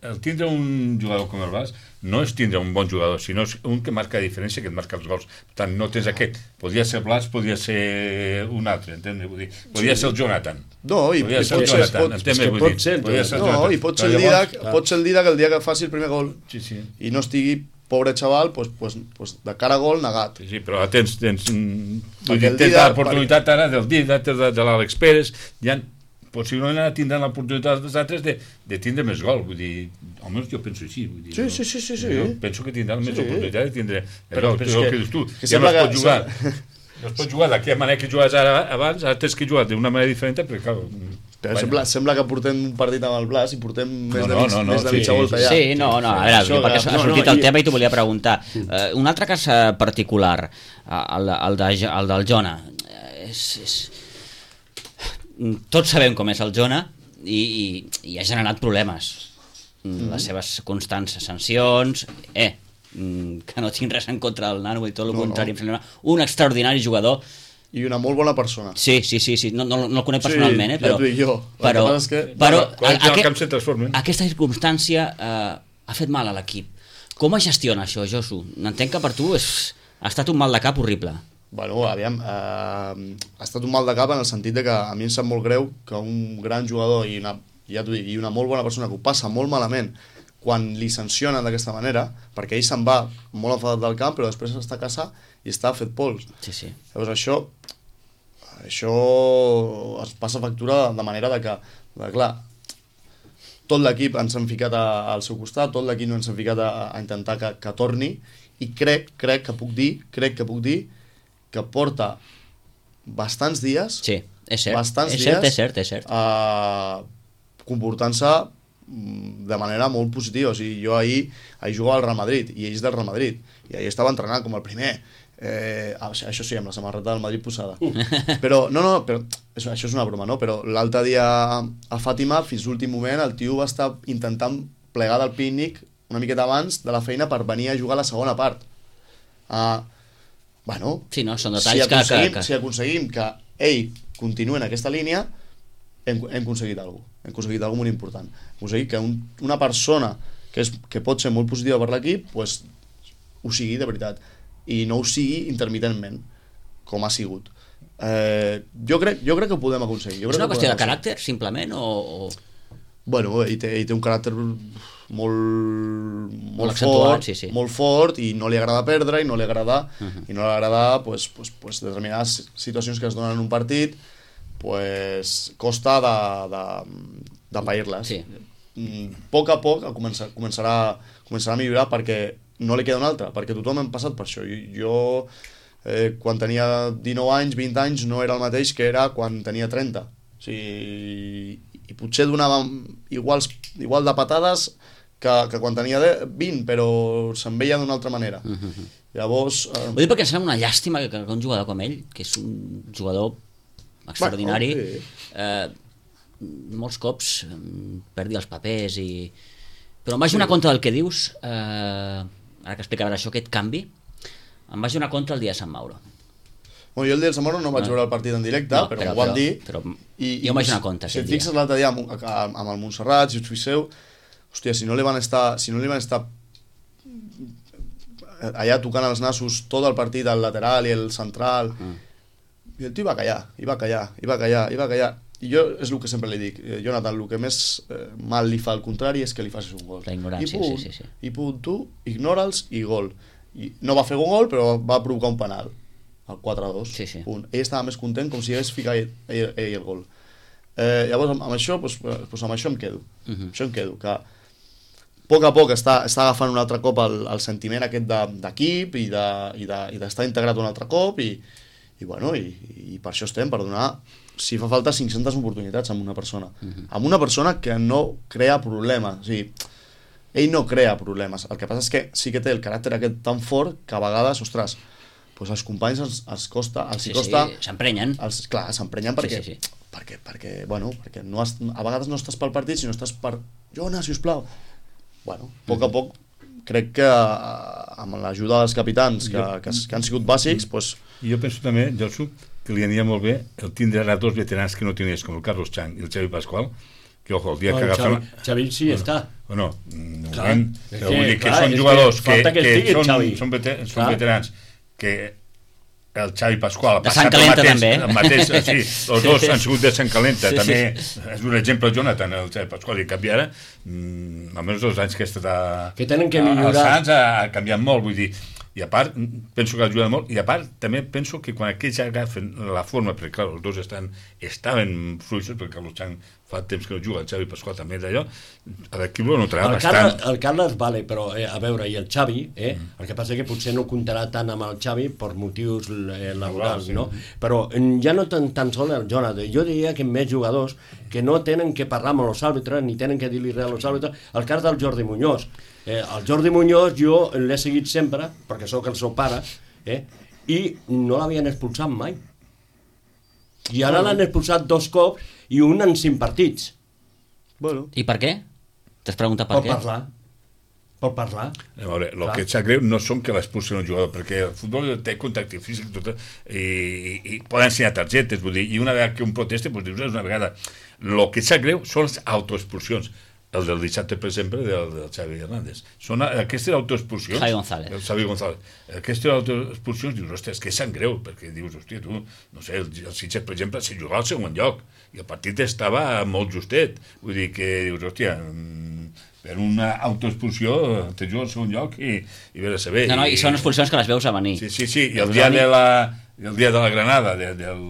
el tindre un jugador com el Bas no és tindre un bon jugador, sinó un que marca la diferència, que et marca els gols. Per tant, no tens aquest. Podria ser Blas, podria ser un altre, entens? Vull dir, podria ser el Jonathan. No, i, podria i ser el pot, Jonathan, pot, entens? que Vull pot dir, ser el podria ser el no, Jonathan. i pot ser, Però el llavors, Didac, pot ser el Didac el dia que faci el primer gol Sí, sí. i no estigui, pobre xaval, pues, pues, pues de cara a gol negat. Sí, sí, però tens, tens, mm, vull Perquè dir, el tens Didac- l'oportunitat ara del Didac, de, de l'Àlex Pérez, ja possiblement ara tindran l'oportunitat dels altres de, de tindre més gol, vull dir, almenys jo penso així, vull dir, Sí, no? sí, sí, sí, sí. Jo penso que tindran més Sí. oportunitat de tindre Però- allò, però és allò que- que dius tu, que ja no sembla es que- pot jugar no es pot jugar d'aquella manera que jugaves ara abans, ara tens que jugar d'una manera diferent, perquè clar, Però vaja. sembla, sembla que portem un partit amb el Blas i portem més de, no, mig, no, no, més de sí, mitja sí, volta ja. Sí, no, no, a veure, Això perquè que- ha no, sortit no, el i- tema i t'ho volia preguntar. Uh, un altre cas uh, particular, uh, el, el, de, el del Jona, uh, és, és... tots sabem com és el Jona i, i, i ha generat problemes. Mm. Les seves constants sancions, eh, mm, que no tinc res en contra del nano i tot el No, contrari, no. em sembla un extraordinari jugador. I una molt bona persona. Sí, sí, sí, sí. No, no, no el conec Sí, personalment, eh, ja però... t'ho dic jo. El Però, que passa és que- però Quan entra al aquest- camp se transformen. aquesta circumstància eh, ha fet mal a l'equip. Com es gestiona això, Josu? Entenc que per tu és, ha estat un mal de cap horrible. Bueno, aviam, eh, ha estat un mal de cap en el sentit de que a mi em sap molt greu que un gran jugador i una, ja t'ho dic, i una molt bona persona que ho passa molt malament quan li sancionen d'aquesta manera, perquè ell se'n va molt enfadat del camp, però després està a casa i està fet pols. Sí, sí. Llavors això, això es passa factura de manera de que, de, clar, tot l'equip ens hem ficat a, al seu costat, tot l'equip ens hem ficat a, a intentar que, que torni, i crec, crec que puc dir, crec que puc dir que porta bastants dies, Sí, és cert. bastants és dies, cert, és cert, és cert. Uh, comportant-se mm, de manera molt positiva. O sigui, jo ahir, ahir jugava al Real Madrid i ells del Real Madrid, i ahir estava entrenant com el primer. Eh, això sí, amb la samarreta del Madrid posada. Però, no, no, però, això, això és una broma, no? Però l'altre dia a Fàtima, fins l'últim moment, el tio va estar intentant plegar del pícnic una miqueta abans de la feina per venir a jugar a la segona part. Uh, bueno, Sí, no, són si detalls que, que, aconseguim, que... si aconseguim que ell continuï en aquesta línia, hem, hem aconseguit alguna cosa. Hem aconseguit alguna cosa molt important. Hem aconseguit que un, una persona que, és, que pot ser molt positiva per l'equip, pues, ho sigui de veritat. I no ho sigui intermitentment, com ha sigut. Eh, jo, crec, jo crec que ho podem aconseguir. Jo És crec una que ho qüestió de podem caràcter, simplement, o... o... Bueno, ell té, ell té un caràcter molt, molt, Molt accentuat, fort, sí, sí. molt fort, i no li agrada perdre, i no li agrada, Uh -huh. i no li agrada pues, pues, pues, determinades situacions que es donen en un partit, pues, costa de, de, de pair-les. Sí. Mm, a poc a poc començar, començarà, començarà a millorar, perquè no li queda una altra, perquè tothom hem passat per això. Jo, jo eh, quan tenia dinou anys, vint anys, no era el mateix que era quan tenia trenta. O sigui, i potser donava iguals, igual de patades que, que quan tenia vint, però se'n veia d'una altra manera. Uh -huh. Llavors... Eh, Ho dic perquè em sembla una llàstima que, que un jugador com ell, que és un jugador extraordinari, Bueno, sí. eh, molts cops eh, perdi els papers i... Però em vaig donar compte del que dius, eh, ara que explicaràs això, aquest canvi, em vaig donar compte el dia de Sant Mauro. Bueno, jo el dia del Sant Mauro no vaig No. veure el partit en directe, No, però, però- ho van però- dir. però i, jo em vaig donar compte Si et aquell fixes dia. l'altre dia amb, amb, amb el Montserrat, si us fixeu, hòstia, si no li van estar, si no li van estar allà tocant els nassos tot el partit, el lateral i el central, Mm. i el tio va callar, i va callar, i va callar, i va callar. I jo és el que sempre li dic, eh, Jonathan, el que més eh, mal li fa al contrari és que li facis un gol. La ignorància, I punt, sí, sí, sí. I punt, tu ignora'ls i gol. I no va fer un gol, però va provocar un penal, el quatre a dos. Sí, sí. Punt. Ell estava més content com si hagués ficat ell, ell, ell el gol. Eh, llavors, amb, amb això, doncs, doncs amb això em quedo. Uh -huh. Això em quedo, que a poc a poc està, està agafant un altre cop el, el sentiment aquest de- d'equip i d'estar de, i de, i d'estar integrat un altre cop, i, i, bueno, i, i per això estem, per donar, si fa falta, cinc-centes oportunitats amb una persona. Uh-huh. Amb una persona que no crea problemes. O sigui, ell no crea problemes. El que passa és que sí que té el caràcter aquest tan fort que a vegades, ostres, doncs els companys els, els costa... Els sí, costa sí, s'emprenyen. Els, clar, s'emprenyen perquè, sí, sí, sí. perquè, perquè, bueno, perquè no has, a vegades no estàs pel partit, sinó estàs per... Jonas, sisplau. Bueno, a poc a poc, crec que amb l'ajuda dels capitans, que, que, que han sigut bàsics, doncs... Jo penso també, Josu, que li aniria molt bé el tindre ara dos veterans que no tenies, com el Carlos Chang i el Xavi Pasqual, que, ojo, el dia no, que agafen... Xavi, Xavi sí bueno, està. Bueno, no, clar, moment, que, vull dir que clar, són jugadors que, que, que, que són, Xavi. són, veter, són veterans que el Xavi Pasqual ha de Sant passat el Calenta, mateix, també. el mateix, sí, els dos han sigut de Sant Calenta, sí, també sí. És un exemple Jonathan, el Xavi Pasqual, i canviarà, mm, almenys els anys que ha estat a, que tenen que a, millorar. als Sants ha, ha canviat molt, vull dir, i a part, penso que ajuda molt, i a part també penso que quan aquells agafen la forma, perquè clar, els dos estan, estaven fluixos, perquè Carlos Chang fa temps que no juga, el Xavi Pasqual també d'allò, l'equip lo notarà el bastant. Carles, el Carles vale, però eh, a veure, i el Xavi, eh, mm. el que passa que potser no comptarà tant amb el Xavi per motius eh, laborals, sí. no? Però ja no tan, tan sol el Jonathan, jo diria que més jugadors que no tenen que parlar amb els àrbitres, ni tenen que dir-li res als àrbitres, el cas del Jordi Muñoz. Eh, el Jordi Muñoz jo l'he seguit sempre, perquè sóc el seu pare, eh, i no l'havien expulsat mai. I ara l'han expulsat dos cops i un en cinc partits. Bueno. I per què? T'has preguntat per Pot què? parlar. Pot parlar. A veure, el Clar. que et sap greu no són que l'expulsin un jugador, perquè el futbol té contacte físic tot, i, i, i poden ensenyar targetes, vull dir, i una vegada que un protesta, doncs dius, és una vegada. El que et sap greu són les autoexpulsions. El del dissabte, per exemple, del, del Xavi Hernández. Són aquestes autoexpulsions... Javi González. El Xavi González. Aquestes autoexpulsions, dius, ostres, que sap greu, perquè dius, hòstia, tu, no sé, el, el Sitges, per exemple, se jugava al segon lloc, i el partit estava molt justet. Vull dir que dius, hòstia, per una autoexpulsió te juga al segon lloc i, i ve a saber. No, no, i, i són expulsions que les veus a venir. Sí, sí, sí, i el dia de la, el dia de la Granada, de, del...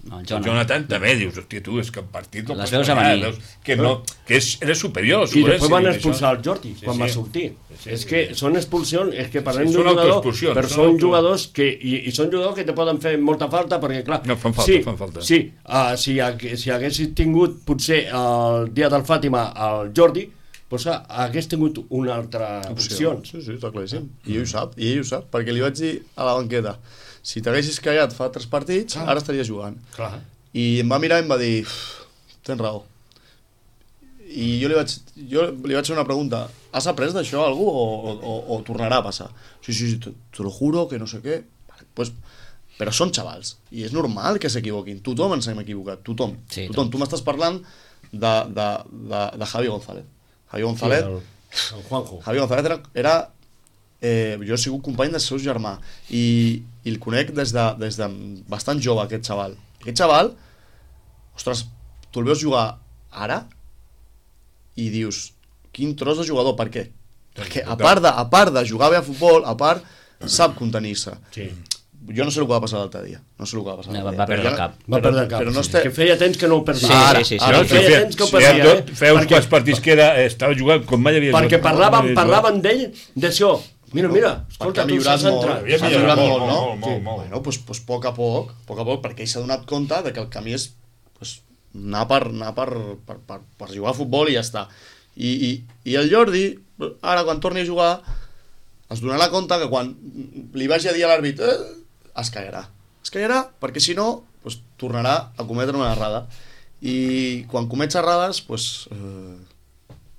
No, el el Jonathan. Jonathan també dius, hòstia, tu, és que el partit el Les pots veus a guanyar, venir. veus que, no, que és, era superior. I després van sí, expulsar això. el Jordi Sí, quan sí. va sortir. Sí, sí, és sí, que sí. són expulsions, és que parlem Sí, d'un són jugador, autoexpulsions, però són són auto- jugadors que, i, i són jugadors que te poden fer molta falta, perquè clar... No, fan falta, sí, fan falta. Sí, uh, si, hagués, si haguessis tingut potser el dia del Fàtima el Jordi, doncs hagués tingut una altra opció. Sí, sí, està claríssim. I ell ho sap, i ell ho sap, perquè li vaig dir a la banqueta, si t'haguessis callat fa tres partits, Ah. ara estaries jugant. Clar. I em va mirar i em va dir, tens raó. I jo li vaig, jo li vaig fer una pregunta, has après d'això algú o, o, o, o tornarà a passar? Sí, sí, sí, te, te lo juro que no sé què. Vale, pues, però són xavals, i és normal que s'equivoquin. Tothom ens hem equivocat, tothom. Sí, tothom. Tu m'estàs parlant de, de, de, de Javi González. Javi González, Sí, el, el Juanjo. Javi González era, era eh, jo he sigut company del seu germà i, i el conec des de, des de bastant jove, aquest xaval. Aquest xaval, ostres, tu el veus jugar ara i dius, quin tros de jugador, per què? Perquè a part de, a part de jugar bé a futbol, a part sap contenir-se. Sí. Jo no sé el que va passar l'altre dia, no sé el que va passar No, l'altre va dia. perdre Però el ja- cap. Va perdre el cap. Però no sí. este... Que feia temps que no ho perdia. Sí, Ara, sí, sí, sí. ara, feia feia- temps que ho feia perdia, tot- eh? feia uns Perquè- quants partits que era, estava jugant com mai havia Perquè jugat. parlaven, Mai havia parlaven d'ell, d'això. Mira, mira, escolta, Perquè ha tu millorat s'has molt, entrat. havia s'ha millorat millorat molt, molt, no? molt, molt, Sí. molt. Bueno, doncs, doncs poc a poc, poc a poc, perquè ell s'ha donat compte de que el camí és pues, anar, per, anar per, per, per, per jugar a futbol i ja està. I, i, i el Jordi, ara quan torni a jugar, es donarà compte que quan li vagi a dir a l'àrbit eh, es callarà. Es callarà perquè si no pues, tornarà a cometre una errada. I quan comets errades, pues, eh,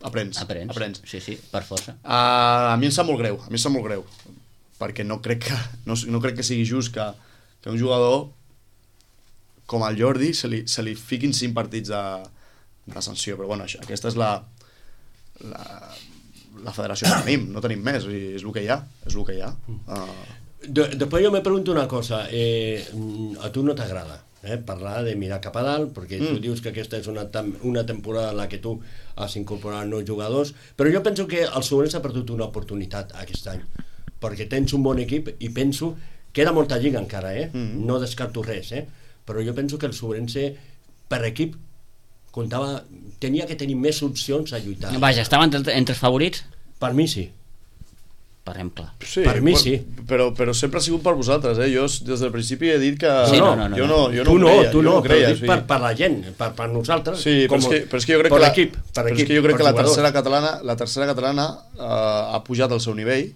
aprens. Aprens. aprens. Sí, sí, per força. Uh, a mi em sap molt greu, a mi em sap molt greu, perquè no crec que, no, no crec que sigui just que, que un jugador com el Jordi se li, se li fiquin cinc partits de, de sanció, però bueno, això, aquesta és la, la, la federació que tenim, no tenim més, i és el que hi ha, és el que hi ha. Uh, De, després jo me pregunto una cosa, eh, a tu no t'agrada eh, parlar de mirar cap a dalt, perquè mm. tu dius que aquesta és una, tam una temporada en la que tu has incorporat nous jugadors, però jo penso que el Sobrense ha perdut una oportunitat aquest any, perquè tens un bon equip i penso, queda molta lliga encara, eh? Mm. No descarto res, eh? Però jo penso que el Sobrense per equip comptava, tenia que tenir més opcions a lluitar. Vaja, estava entre, entre els favorits? Per mi sí. parlem clar. Sí, Per mi però, sí. Però, però sempre ha sigut per vosaltres, eh? Jo des del principi he dit que... Sí, no, no, no, jo no, jo no tu no, creia, tu jo no, no creia, però dic sí. per, per la gent, per, per nosaltres. Sí, però és, que, però és que jo crec per que la, l'equip, per però és equip, que jo crec per que la jugadors. tercera catalana, la tercera catalana eh, ha pujat al seu nivell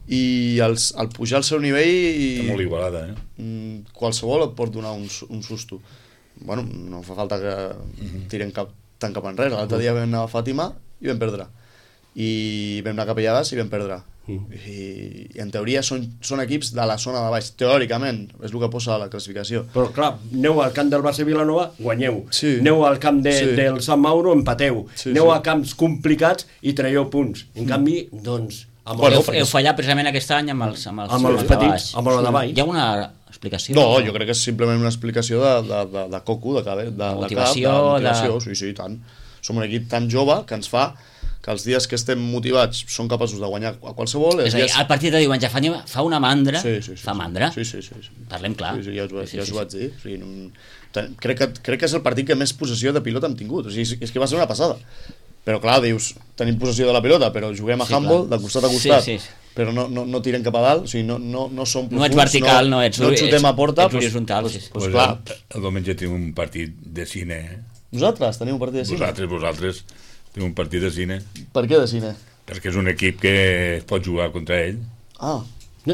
i els, al pujar al seu nivell Està molt igualada, eh? mm, qualsevol et pot donar un, su- un susto. Bueno, no fa falta que tirem cap, tant cap enrere. L'altre dia vam anar a Fàtima i vam perdre. I vam anar a Capellades i vam perdre. I, i en teoria són, són equips de la zona de baix, teòricament és el que posa a la classificació. Però clar, aneu al camp del Barça Vilanova, guanyeu. Sí. Aneu al camp de, Sí. del Sant Mauro, empateu. Sí, aneu sí. a camps complicats i traieu punts. En canvi, doncs... Amb Bueno, el, heu, heu fallat precisament aquest any amb els, amb els, Amb els de petits, baix. amb el de baix. Hi ha una explicació? No, jo crec que és simplement una explicació de, de, de, de coco, de, cabe, de, de, motivació, cap, de motivació, de- sí, sí, tant. Som un equip tan jove que ens fa que els dies que estem motivats són capaços de guanyar a qualsevol. És a dir, dies... el partit de diumenge fa, fa una mandra, Sí, sí, sí, fa sí. mandra, Sí, sí, sí, sí. parlem clar. Sí, sí, ja us, Sí, sí, ja sí, us ho vaig dir. O sigui, no... ten- crec, que, crec que és el partit que més possessió de pilota hem tingut. O sigui, és, és que va ser una passada. Però clar, dius, tenim possessió de la pilota, però juguem a Sí, handball clar. de costat a costat. Sí, sí, sí. Però no, no, no tirem cap a dalt, o sigui, no, no, no som profuns. No ets vertical, no, ets- no xutem a porta. ets horitzontal, sí, sí. Pues, Pues clar, el, el diumenge tenim un partit de cine, eh? nosaltres tenim un partit de cine. Vosaltres, vosaltres, tenim un partit de cine, Per què de cine? perquè és un equip que es pot jugar contra ell. Ah,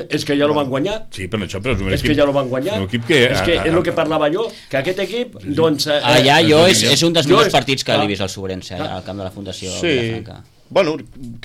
És que ja lo van guanyar. Sí, però això, però és un És equip... que ja lo van guanyar. Un equip que... és que és el que parlava jo, que aquest equip, doncs... Eh, Allà jo és, és un dels jo millors és- partits que clar. l'he vist al Sobrense, al camp de la Fundació sí. Vilafranca. Bueno,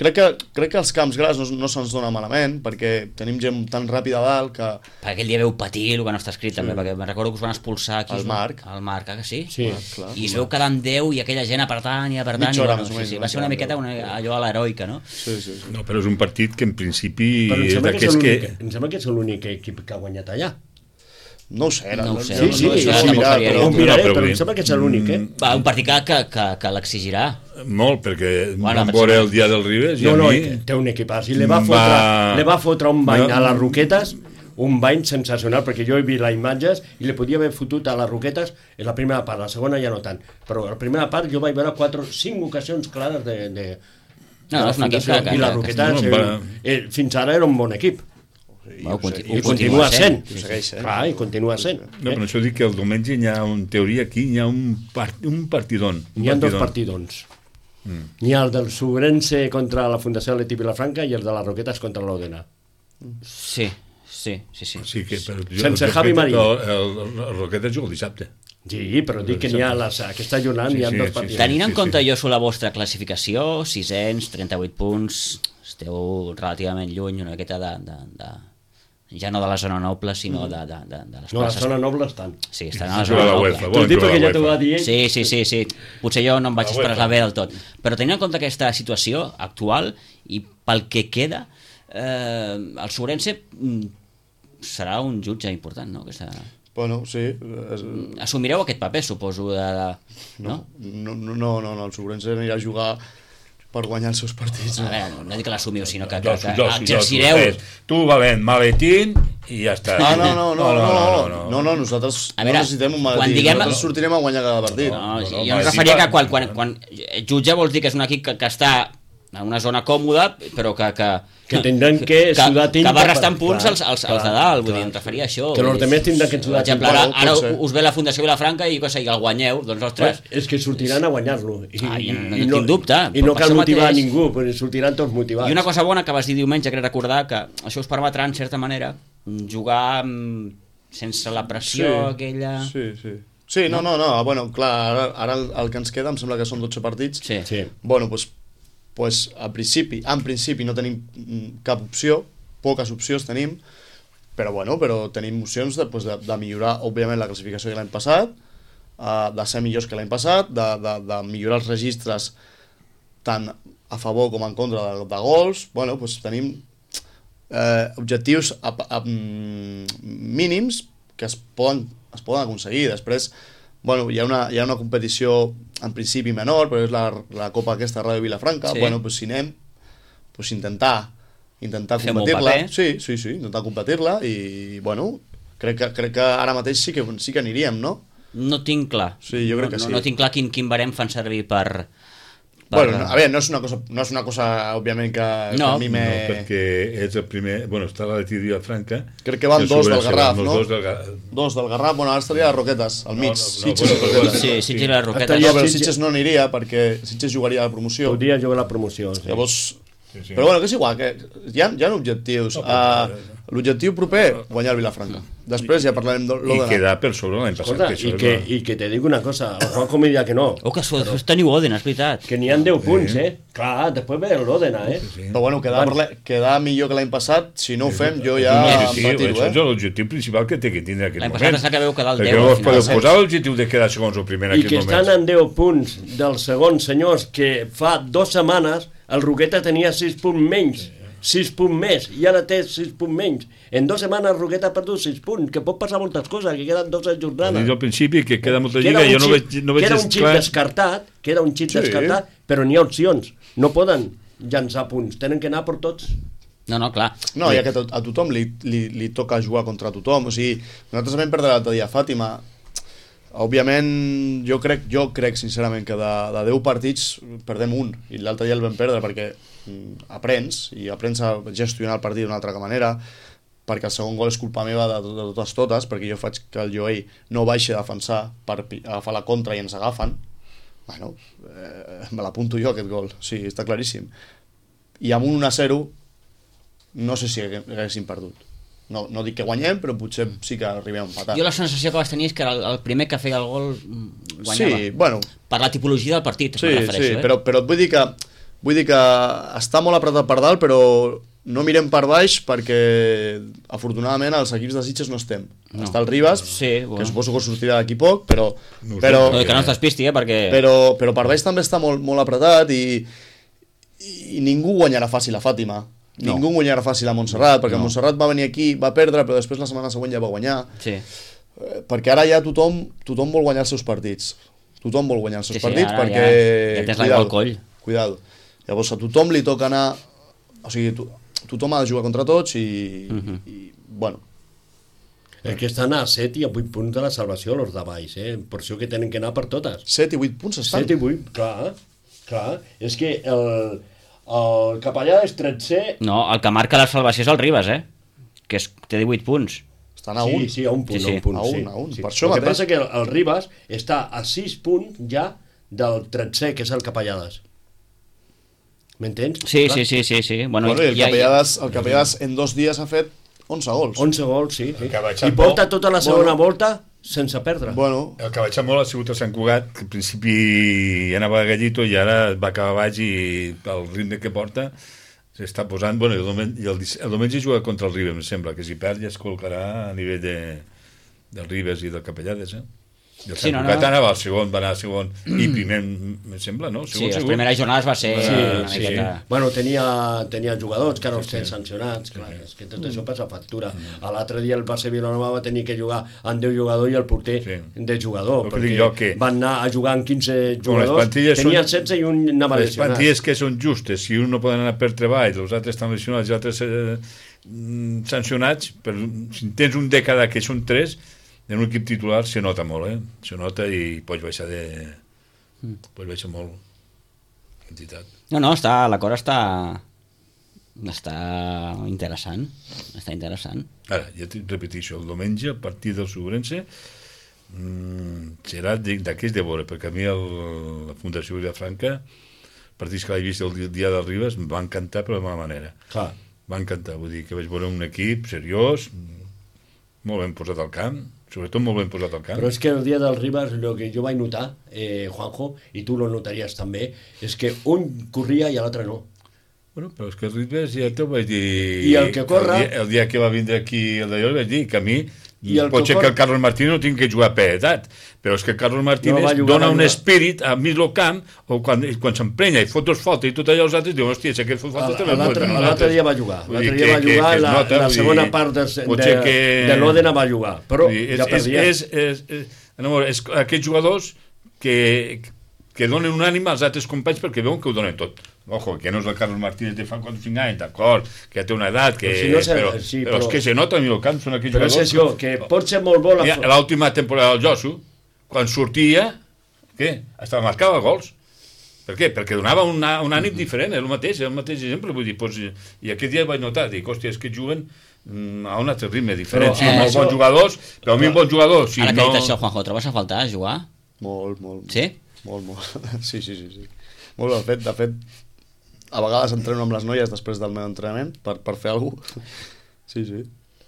crec que, crec que els camps grans no, no se'ns dona malament, perquè tenim gent tan ràpida a dalt que... Perquè aquell dia veu patir el que no està escrit, també, perquè me'n recordo que us van expulsar aquí. El Marc. El Marc, ah, que sí? Sí. clar. I es veu quedar amb deu i aquella gent apretant i apretant. Mitja i, hora, bueno, més o sí, menys, sí, va ser una mitja miqueta hora. una, allò a l'heroica, no? Sí, sí, sí. No, però és un partit que en principi Però em és sembla, que és d'aquests que... l'únic- em sembla que és l'únic equip que ha guanyat allà. No ho sé. No ho sé, Sí, no, sí, no, això no, sí que m'ho mirar, faria però- jo. Ho miraré, però però vull em sembla que és l'únic, eh? Va, un partit que, que, que, que l'exigirà. Molt, perquè Bueno, bueno, vam per veure sembla- el dia del Ribes i No, a no, mi... té un equipàs. I li va va- fotre, li va fotre un bany No. a les Roquetes, un bany sensacional, perquè jo he vist les imatges i li podia haver fotut a les Roquetes en la primera part, la segona ja no tant. Però a la primera part jo vaig veure quatre, cinc ocasions clares de... de No, de és un equip Fundació. que- que- I les que- Roquetes, que- eh, va- eh, fins ara era un bon equip. Bueno, conti- I ho continua sent. Ho segueix sent. Clar, i continua sent. No, però això dic que el diumenge hi ha, en teoria, aquí hi ha un, part, un partidon. Un N'hi ha dos partidon. partidons. N'hi ha el del Sobrense contra la Fundació Atleti Vilafranca i el de les Roquetes contra l'Odena. Sí, sí, sí, sí. Sí, que, però, jo, Sense respecte Javi Marín. al- El, el, el Roquetes juga el dissabte. Sí, però dic que n'hi ha les, aquesta jornada Sí, n'hi ha sí, dos sí, partits. Tenint en sí, compte sí. jo sobre la vostra classificació, sisens, trenta-vuit punts, esteu relativament lluny una miqueta de, de, de, ja no de la zona noble, sinó de, de, de, de les No, la places. zona noble estan. Sí, estan a la Juga zona la noble. UEFA, T'ho volen dic jugar perquè la ja t'ho va UEFA. dir ell. Sí, sí, sí, sí. Potser jo no em vaig La expressar UEFA. bé del tot. Però tenint en compte aquesta situació actual i pel que queda, eh, el Sobrense mm, serà un jutge important, no? Aquesta... Bueno, sí. És... Assumireu aquest paper, suposo, de... de... No? No, no, no, no, no, el Sobrense anirà a jugar per guanyar els seus partits. A No? veure, no, no dic que l'assumiu, sinó que, que, Dos, que dos, exercireu... dos, dos. Tu, valent, maletín, i ja està. Ah, no, no, no, no, no, no, no, no, nosaltres A veure, no necessitem un quan maletí, diguem- nosaltres sortirem a guanyar cada partit. No, no, jo no, em no, referia sí, que quan, pa- quan, quan jutge vols dir que és un equip que, que està en una zona còmoda, però que... Que, Que tindran que sudar que, tinta que va per- restant punts clar, als, als, clar, als de dalt, vull clar. dir, em referia a això. Que vull els dir, altres tindran que sudar Per exemple, tinta. ara, Bueno, ara pot ser. us ve la Fundació Vilafranca i que sé, el guanyeu, doncs ostres, És que sortiran a guanyar-lo. I, Ah, i no- i no tinc dubte, I no per cal això motivar mateix- a ningú, perquè sortiran tots motivats. i una cosa bona que vas dir diumenge, crec recordar, que això us permetrà, en certa manera, jugar mm, sense la pressió aquella... Sí, sí. Sí, no, no, no, bueno, clar, ara, ara el, el que ens queda, em sembla que són dotze partits. Sí. Sí. Bueno, doncs, pues, a principi, en principi no tenim mm, cap opció, poques opcions tenim, però bueno, però tenim opcions de, pues, de, de millorar, òbviament, la classificació de l'any passat, uh, de ser millors que l'any passat, de, de, de millorar els registres tant a favor com en contra de, de gols. Bueno, pues, tenim eh, objectius a, a, mm, mínims que es poden, es poden aconseguir. Després, bueno, hi ha una, hi ha una competició en principi menor, però és la, la Copa aquesta Ràdio Vilafranca. Sí. Bueno, pues, si anem, pues, intentar intentar Fem un competir-la. paper. Sí, sí, sí, intentar competir-la i, bueno, crec que, crec que ara mateix sí que, sí que aniríem, no? No tinc clar. Sí, jo crec no, que no, sí. No tinc clar quin, quin barem fan servir per, Bueno, a veure, no és una cosa, no és una cosa òbviament, que, No. que a mi me... No, perquè és el primer... Bueno, està la de Vilafranca. Crec que van dos del Garraf, no? Dos del Garraf. Dos del Garraf, bueno, ara estaria a Roquetes, al mig. No, no, no, Sitges i bueno, Roquetes. Sí, Sitges i les Roquetes. Estaria- No, però Sitges- Sitges no aniria perquè Sitges jugaria a la promoció. Podria jugar la promoció. Sí. Llavors... Sí, sí. Però bueno, que és igual, que hi ha, hi ha objectius. No, però- Uh, L'objectiu proper, guanyar el Vilafranca. Després ja parlarem de I l'Òdena. quedar per sobre l'any passat. Escolta, que això i és que, la- i que te dic una cosa, el Juanjo me dirà que no, Oh, que després teniu Òdena, és veritat. que n'hi ha deu punts, eh? Clar, després ve l'Òdena, eh? Sí. Però bueno, quedar, per l'any- quedar millor que l'any passat, si no ho fem, jo ja em L'objectiu, retiro, això és eh? l'objectiu principal que té que tindre en aquest L'any moment. passat està que veu quedar el Perquè deu al vos final. podeu posar l'objectiu de quedar segons o primer en I que aquest estan moment. en deu punts del segon, senyors, que fa dues setmanes el Roqueta tenia sis punts menys, sis punts més, i ara té sis punts menys. En dues setmanes el Roqueta ha perdut sis punts, que pot passar moltes coses, que queden dues He jornades. dit al principi que queda molta Queda lliga, un jo no xip- veig, no veig queda gens un xip clar. descartat, queda un xip Sí. descartat, però n'hi ha opcions. No poden llançar punts, tenen que anar per tots. No, no, clar. No, ja que to- a tothom li, li, li toca jugar contra tothom. O sigui, nosaltres vam perdre l'altre dia a Fàtima. Òbviament, jo crec, jo crec sincerament que de, de deu partits perdem un, i l'altre dia el vam perdre perquè mm, aprens, i aprens a gestionar el partit d'una altra manera, perquè el segon gol és culpa meva de, de totes totes, perquè jo faig que el Joey no baixi a defensar per pi- agafar la contra i ens agafen. Bueno, eh, me l'apunto jo aquest gol, sí, està claríssim. I amb un un a zero no sé si hagué- haguéssim perdut. No, no dic que guanyem, però potser sí que arribem a empatar. Jo la sensació que vas tenir és que era el, el primer que feia el gol mm, guanyava. Sí, bueno, Per la tipologia del partit, sí, me sí, refereixo, eh? però, però et vull dir que vull dir que està molt apretat per dalt, però no mirem per baix perquè afortunadament els equips de Sitges no estem. No. Està el Ribas, Sí, bueno. que suposo que sortirà d'aquí poc, però, No ho sé, però, No, que no es despisti, eh, perquè... però, però per baix també està molt, molt apretat i, i ningú guanyarà fàcil a Fàtima. No. Ningú guanyarà fàcil a Montserrat, perquè No. Montserrat va venir aquí, va perdre, però després la setmana següent ja va guanyar. Sí. Eh, perquè ara ja tothom, tothom vol guanyar els seus partits. Tothom vol guanyar els seus Sí, sí, partits ara perquè... ja- ja tens l'aigua al cuidado, coll. Cuidado. Llavors a tothom li toca anar... O sigui, to, tothom ha de jugar contra tots i, Mhm. i bueno, El que estan a set i a vuit punts de la salvació, els de baix, eh? Per això que tenen que anar per totes. set i vuit punts estan. set i vuit, clar, clar. És que el, el capellà és tretze... No, el que marca la salvació és el Ribas, eh? Que és, té divuit punts. Estan a sí, un. sí, a un punt, Sí, a sí. un punt, A un, sí. a un. Sí. Per això el que mateix. passa que el, el Ribas està a sis punts ja del tretze, que és el capellades. M'entens? Sí, Clar. sí, sí, sí, sí. Bueno, Bueno, i el ja- Capellades, el Capellades en dos dies ha fet onze gols. onze gols, sí. sí. El que ha baixat I porta molt. tota la segona volta sense perdre. Bueno, El que ha baixat molt ha sigut el Sant Cugat, que al principi anava a gallito i ara va acabar baix i el ritme que porta s'està posant... Bueno, el diumenge, el, dic- el diumenge juga contra el Ribes, em sembla, que si perd ja es col·locarà a nivell de, del Ribes i del Capellades, eh? I el Sí, Sant no, no. Cugat anava al segon, va anar al segon i primer, em sembla, no? Sí, Segon, les segon. primeres jornades va ser Sí, una sí. miqueta... Bueno, tenia, tenia jugadors que ara els tenen sancionats, clar, és que tot això passa factura. A l'altre dia el Barça Vilanova va tenir que jugar amb deu jugadors i el porter Sí. de jugador, El que dic jo, que- van anar a jugar amb quinze Com les jugadors, plantilles tenia són- setze i un anava Les lesionat. plantilles que són justes, si un no poden anar per treball, els altres estan lesionats i els altres eh, mm, sancionats, però si tens un de cada que són tres, en un equip titular se nota molt, eh? Se nota i pots baixar de... pots baixar molt quantitat. No, no, està, la cosa està... està interessant. Està interessant. Ara, ja te repeteixo, el diumenge, a partir del Sobrense, mmm, serà de- d'aquells de veure, perquè a mi el, la Fundació Vilafranca, partits que l'he vist el dia- dia del Ribes, em va encantar per la mala manera. Clar. Va encantar, vull dir que vaig veure un equip seriós, molt ben posat al camp, sobretot molt ben posat al camp. Però és que el dia del Ribas, el que jo vaig notar, eh, Juanjo, i tu lo notaries també, és que un corria i l'altre no. Bueno, però és que el Ribes ja t'ho vaig dir... I el que corre- El dia, el dia que va vindre aquí el d'allò, vaig dir que a mi I el pot que ser corre- que el Carlos Martínez no tingui que jugar per edat, però és que el Carlos Martínez No, va no, jugar, dona va un jugar. espírit a mig del camp, o quan, quan s'emprenya i fot dos faltes i tot allò, els altres diuen, hòstia, si aquest fot faltes també... L'altre pot- l'altre dia va jugar. Vull dir L'altre dia va que- que- jugar, que es la, nota, la vull segona dir, part de, potser de, que- de l'Òdena va jugar, però Vull dir, és, ja perdia. És, és, és, és, és, és, aquests jugadors que, que donen un ànim als altres companys perquè veuen que ho donen tot. Ojo, que no és el Carlos Martínez de fa quatre o cinc anys, d'acord, que ja té una edat, que, Però si no sé- però, sí, però, però- és que se nota a mi el camp, són aquells Però és jugadors... això, que pot ser molt bo la... Mira, l'última temporada del Josu, quan sortia, què? Estava marcava gols. Per què? Perquè donava una, un ànim diferent, és el mateix, és el mateix exemple, vull dir, doncs, i aquest dia vaig notar, dic, hòstia, és que juguen a un altre ritme diferent, sí, molt bons jugadors, però a mi un bon jugador, si ara no... que dit això, Juanjo, trobes a faltar jugar? Molt, molt. Sí? Molt, molt. Sí, sí, sí, sí. Molt, de fet, de fet, a vegades entreno amb les noies després del meu entrenament per, per fer alguna cosa. Sí, sí.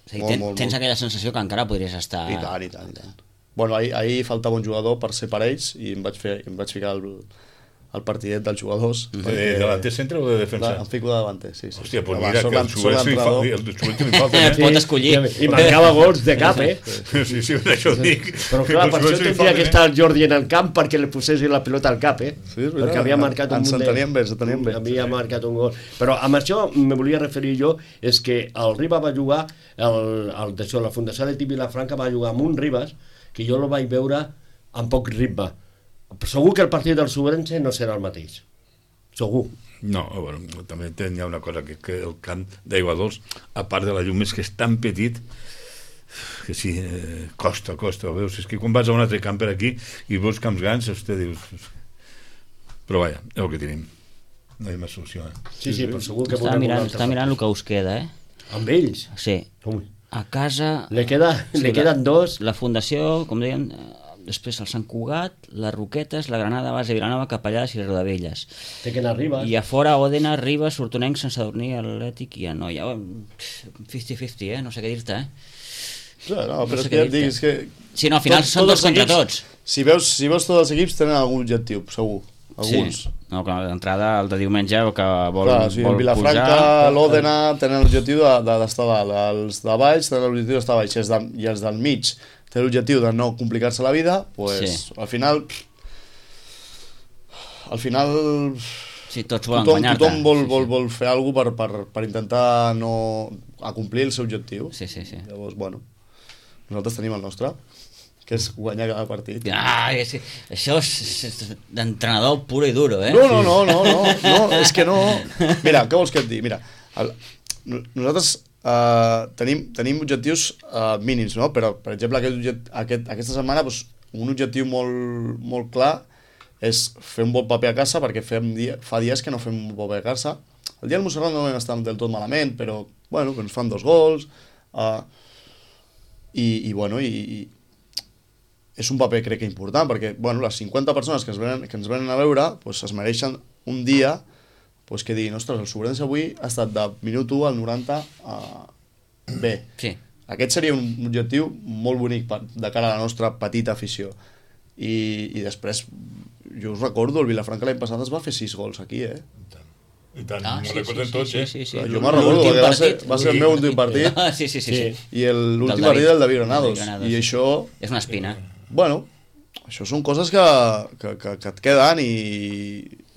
O sigui, ten, tens aquella sensació que encara podries estar... I tant, i tant, i tant. Bueno, ahir, ahir faltava un jugador per ser parells i em vaig, fer, em vaig ficar el, el partidet dels jugadors. De, de delanter centre o de defensa? De, em fico de davanter, sí, sí. Hòstia, doncs Va, mira, que el Subenc li falta, el Subenc li falta. Eh, pot escollir. I marcava gols de cap, eh? Sí, sí, això ho dic. Però clar, per això tindria que estar el Jordi en el camp perquè li posessin la pilota al cap, eh? Sí, és veritat. Perquè havia marcat un ens munt de... enteníem bé, ens enteníem bé. Havia marcat un gol. Però amb això me volia referir jo, és que el Riba va jugar, el, el, d'això, la Fundació Atlètic Vilafranca va jugar amb un Ribas, que jo el vaig veure amb poc ritme. Segur que el partit del Sobrense no serà el mateix. Segur. No, bueno, també hi ha una cosa, que, que el camp d'Aigua Dols, a part de la llum, és que és tan petit que sí, eh, costa, costa, veus? És que quan vas a un altre camp per aquí i veus camps grans, hosti, dius... Però vaja, és el que tenim. No hi ha més solució, eh? Sí, sí, però segur que... Està mirant, està mirant el que us queda, eh? Amb ells? Sí. Com? A casa... Le, queda, sí, le queden la, dos... La fundació, com deien, després el Sant Cugat, les Roquetes, la Granada, Base, Vilanova, Capellades i les Rodavelles. Té que anar a Ribes. I a fora, Òdena, Ribes, Hortonenc, Sant Sadurní, Atlètic i Anoia. cinquanta cinquanta, eh? No sé què dir-te, eh? Sí, no, però no sé és que ja et dic, és que... Sí, no, al final tot, són tots contra equips, tots. Si veus, si veus tots els equips tenen algun objectiu, segur. Alguns. Sí. No, clar, d'entrada, el de diumenge, que vol, clar, sí, vol Vilafranca, pujar... l'Òdena tenen l'objectiu d'estar de, de, dalt, els de baix tenen l'objectiu d'estar baix, i els, de, i els del mig tenen l'objectiu de no complicar-se la vida, pues, sí. al final al final sí, tots volen tothom, guanyar-te. tothom vol, sí, vol, sí. vol fer alguna cosa per, per, per intentar no acomplir el seu objectiu. Sí, sí, sí. Llavors, bueno, nosaltres tenim el nostre, que és guanyar cada partit. Ah, és, això és, és d'entrenador puro i duro, eh? No, no, no, no, no, no, és que no... Mira, què vols que et digui? Mira, el, nosaltres uh, tenim, tenim objectius uh, mínims, no? Però, per exemple, aquest, object, aquest, aquesta setmana doncs, un objectiu molt, molt clar és fer un bon paper a casa, perquè fem dia, fa dies que no fem un bon paper a casa. El dia del Montserrat no vam estar del tot malament, però, bueno, que ens fan dos gols, uh, i, i, bueno, i... i és un paper, crec que important, perquè bueno, les cinquanta persones que ens venen, que ens venen a veure pues, es mereixen un dia pues, que diguin, ostres, el Sobrense avui ha estat de minut u al noranta a... bé. Sí. Aquest seria un objectiu molt bonic per, de cara a la nostra petita afició. I, i després, jo us recordo, el Vilafranca l'any passat es va fer sis gols aquí, eh? I tant, ah, m'ho sí, recorden sí, tots, sí, eh? sí, sí, sí. Jo me'n recordo, perquè va ser, va ser el meu últim partit. Ah, sí, sí, sí, sí. I l'últim partit del David Granados. Granados. I això... És una espina. Bueno, això són coses que, que, que, que et queden i,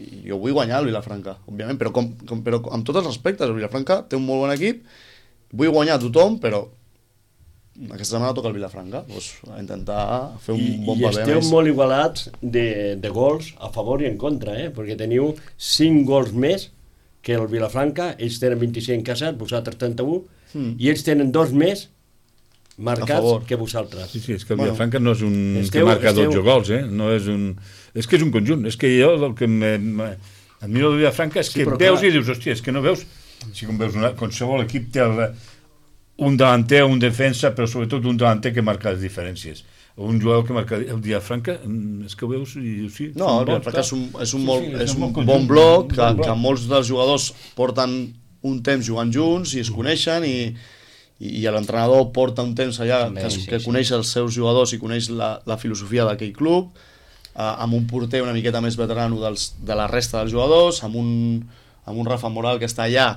i jo vull guanyar el Vilafranca, òbviament, però, com, com, però amb tots els respectes, el Vilafranca té un molt bon equip, vull guanyar a tothom, però aquesta setmana toca el Vilafranca, doncs, a intentar fer un I, bon i paper esteu més. molt igualats de, de gols a favor i en contra, eh? Perquè teniu cinc gols més que el Vilafranca, ells tenen vint-i-cinc en casa, vosaltres trenta-u, mm. i ells tenen dos més marcats que vosaltres. Sí, sí, és que el Bueno, Vilafranca no és un esteu- que marca esteu- dotze gols, eh? No és un... És que és un conjunt. És que jo el que me, me, admiro del Vilafranca és Sí, que però veus clar. i dius, hòstia, és que no veus... Si com veus una, qualsevol equip té el, un delanter, un defensa, però sobretot un delanter que marca les diferències. Un jugador que marca el Vilafranca, és que ho veus i dius, sí... No, el Vilafranca és un, és un, Sí, molt, sí, és és un un bon conjunt, bloc, un que, bon bloc. que molts dels jugadors porten un temps jugant junts i es coneixen i, i l'entrenador porta un temps allà També, que, sí, que sí. coneix els seus jugadors i coneix la, la filosofia d'aquell club, eh, amb un porter una miqueta més veterano dels, de la resta dels jugadors, amb un, amb un Rafa Moral que està allà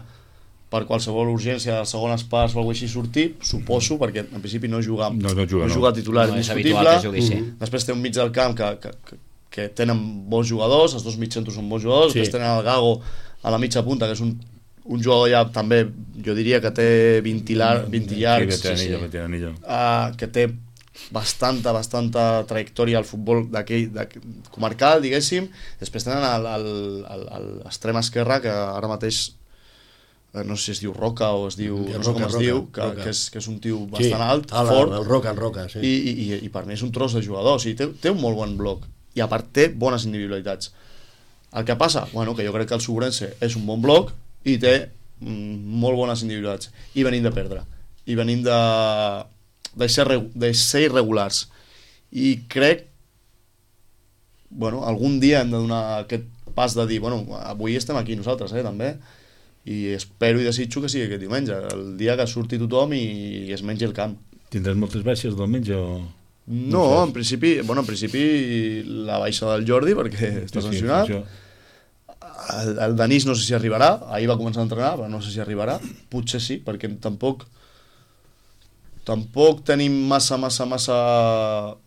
per qualsevol urgència de segones parts o alguna cosa així sortir, suposo, perquè en principi no juga, No, no juga, no no. juga titular No és indiscutible. habitual que jugui, sí. Després té un mig del camp que, que, que, que tenen bons jugadors, els dos mitjcentros són bons jugadors, Sí. després tenen el Gago a la mitja punta, que és un, un jugador ja també, jo diria que té vint, lar, vint llargs, Sí, sí, sí. sí, sí. uh, que té bastanta, bastanta trajectòria al futbol d'aquell comarcal, diguéssim. Després tenen l'extrem esquerre, que ara mateix no sé si es diu Roca o es diu, Sí, no sé com Roca, es Roca, diu, que, Roca. que, és, que és un tio bastant alt, el, fort, el Roca, el Roca, sí. i, i, i, i per mi és un tros de jugador, o sigui, té, té un molt bon bloc i a part té bones individualitats. El que passa? Bueno, que jo crec que el Segurense és un bon bloc i té mm, molt bones individualitats. I venim de perdre. I venim de, de, ser, de ser irregulars. I crec bueno, algun dia hem de donar aquest pas de dir, bueno, avui estem aquí nosaltres, eh, també, i espero i desitjo que sigui aquest diumenge, el dia que surti tothom i, i es mengi el camp. Tindràs moltes baixes diumenge o...? No, no en principi, bueno, en principi la baixa del Jordi, perquè sí, està sancionat. Sí, el, el Denis no sé si arribarà, ahir va començar a entrenar, però no sé si arribarà, potser sí, perquè tampoc tampoc tenim massa, massa, massa...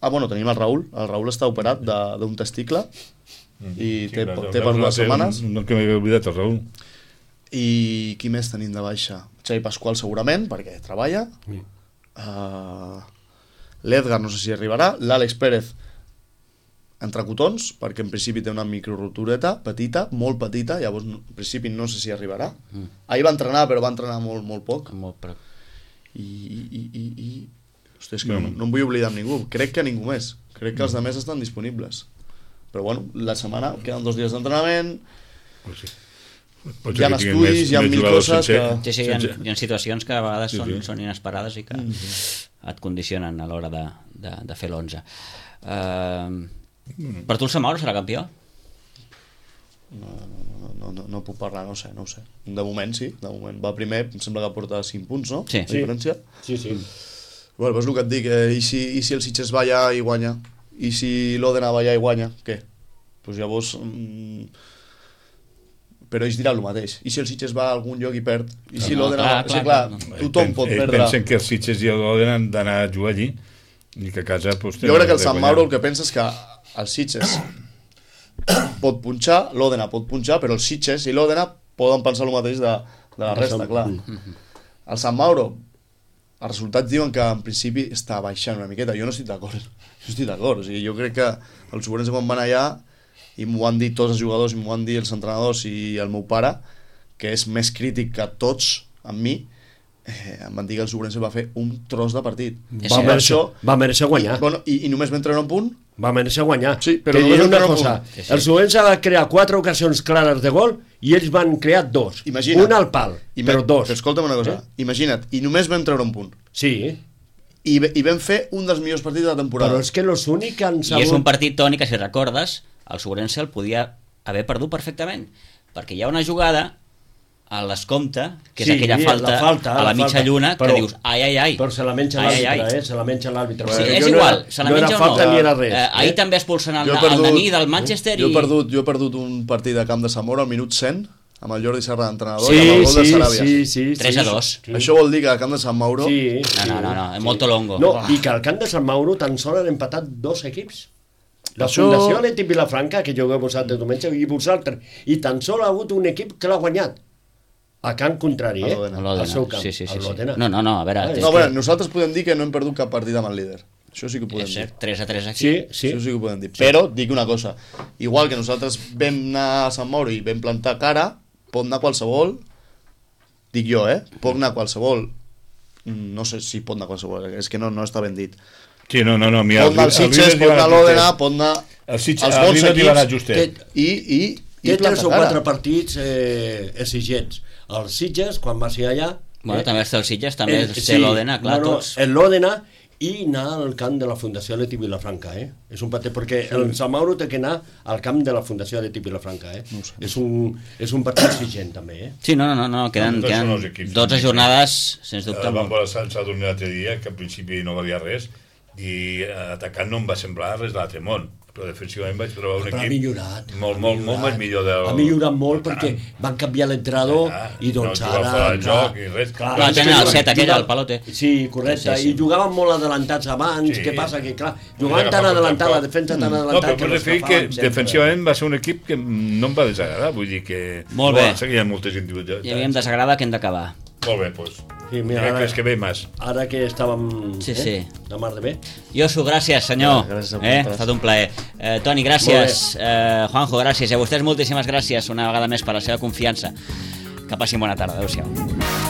Ah, bueno, tenim el Raül, el Raül està operat d'un testicle mm. i sí, té, clar, té per dues setmanes. No, que m'he oblidat el Raül. I qui més tenim de baixa? Xavi Pasqual segurament, perquè treballa. Mm. Uh, L'Edgar no sé si arribarà. L'Àlex Pérez entre cotons, perquè en principi té una microrotureta petita, molt petita, llavors en principi no sé si arribarà. Mm. Ahir va entrenar, però va entrenar molt, molt poc. Molt poc. I, i, i, i... Hosti, és que no, no em vull oblidar amb ningú. Crec que ningú més. Crec que els altres estan disponibles. Però bueno, la setmana queden dos dies d'entrenament. Pues sí. Hi ha estudis, hi ha mil coses que... Sí, sí, hi ha, hi ha situacions que a vegades sí, són, sí. són inesperades i que mm -hmm. et condicionen a l'hora de, de, de fer l'onze. Uh, mm. Per tu el Samauro serà campió? No, no, no, no, no puc parlar, no sé, no ho sé. De moment sí, de moment va primer, em sembla que porta cinc punts, no? Sí. La diferència. Sí, sí. Bueno, pues el que et dic, eh, i, si, i si el Sitges va allà i guanya? I si l'Òdena va allà i guanya? Què? Pues llavors... Mm, però ells diran el mateix. I si el Sitges va a algun lloc i perd? I si no, l'Òdena... clar, Va... clar, Sí, clar, clar, tothom pen, pot perdre. Pensen que els Sitges i l'Òdena han d'anar a jugar allí i que a casa... Pues, jo crec que el Sant Mauro el que pensa és que el Sitges pot punxar, l'Òdena pot punxar, però el Sitges i l'Òdena poden pensar el mateix de, de la resta, clar. El Sant Mauro, els resultats diuen que en principi està baixant una miqueta. Jo no estic d'acord. Jo estic d'acord. O sigui, jo crec que els Segurense quan van allà, i m'ho han dit tots els jugadors, i m'ho han dit els entrenadors i el meu pare, que és més crític que tots amb mi, eh, em van dir que el Segurense va fer un tros de partit. Va mereixer, va mereixer guanyar. I, bueno, i, i només vam treure un punt? Va mereixer guanyar. Sí, però que només una vam cosa, sí, sí. El Segurense va crear quatre ocasions clares de gol i ells van crear dos. Imagina't, un al pal, però dos. Però escolta'm una cosa, eh? Imagina't, i només vam treure un punt. Sí. I, I vam fer un dels millors partits de la temporada. Però és que los únics que han sabut... I és un partit, Toni, que si recordes, el Segurense el podia haver perdut perfectament, perquè hi ha una jugada a l'escompte, que és sí, aquella falta, la falta a la, la mitja falta. Lluna, però, que dius, ai, ai, ai. Però se la menja l'àrbitre, eh? Se la menja l'àrbitre. Sí, és igual, no era, se la menja no era o falta no. Ni era res. Eh, ahir eh? també expulsen el, perdut, el Dani del Manchester jo, i... Jo he, perdut, jo he perdut un partit de camp de Zamora al minut cent, amb el Jordi Serra d'entrenador, sí, i amb el gol sí, de Saràbia. Sí, sí, tres a dos. Sí. Això vol dir que al camp de Sant Mauro... Sí, no, no, no, no, és molt longo. No, i que al camp de Sant Mauro tan sols han empatat dos equips. La Això... Fundació Atlètic Vilafranca, que jugueu vosaltres diumenge, i vosaltres. I tan sols ha hagut un equip que l'ha guanyat. A camp contrari, eh? Al seu camp. Sí, sí, sí, sí. No, no, no, a veure... Ah, no, a veure, nosaltres podem dir que no hem perdut cap partit amb el líder. Això sí que ho podem és dir. cert, tres a tres aquí. Sí, sí. Això sí que ho podem dir. Sí. Però dic una cosa, igual que nosaltres vam anar a Sant Mauro i vam plantar cara, pot anar qualsevol, dic jo, eh? Pot anar qualsevol, no sé si pot anar qualsevol, és que no, no està ben dit. Sí, no, no, no. Mira, pot anar al Sitges, pot anar a l'Òdena, pot anar als bons equips, i, i, i tres o quatre partits eh, exigents. Els Sitges, quan va ser allà... Bueno, eh, també està el Sitges, també el, té sí, l'Òdena, clar, no, no, tots. L'Òdena i anar al camp de la Fundació Atlètic Vilafranca, eh? És un partit, perquè sí. El Sant Mauro té que anar al camp de la Fundació Atlètic Vilafranca, eh? No és, un, és un partit exigent, també, eh? Sí, no, no, no, queden, no, queden dotze jornades, sens dubte. El Van Bola Sant s'ha donat l'altre dia, que al principi no valia res, i atacant no em va semblar res de l'altre món, però defensivament vaig trobar un però equip ha millorat, molt, ha molt, millorat, molt més millor del... ha millorat molt perquè van canviar l'entrenador ah, i doncs no ara fora del joc i res. Clar, van tenir el set aquell, el Palote. Sí, correcte, sí, sí. I jugaven molt adelantats abans, sí. Què passa? Que clar, jugaven tan adelantat, la defensa tan adelantat... No, però per dir que defensivament va ser un equip que no em va desagradar, vull dir que... Molt bé. Seguien moltes individualitats. I a mi em desagrada que hem d'acabar. Molt bé, doncs. Sí, mira, ara, que ve més. Ara que estàvem sí, eh, sí. de mar de bé. Josu, gràcies, senyor. Ja, gràcies eh? Ha estat un plaer. Eh, Toni, gràcies. Eh, Juanjo, gràcies. I a vostès moltíssimes gràcies una vegada més per la seva confiança. Que passin bona tarda. Adéu-siau.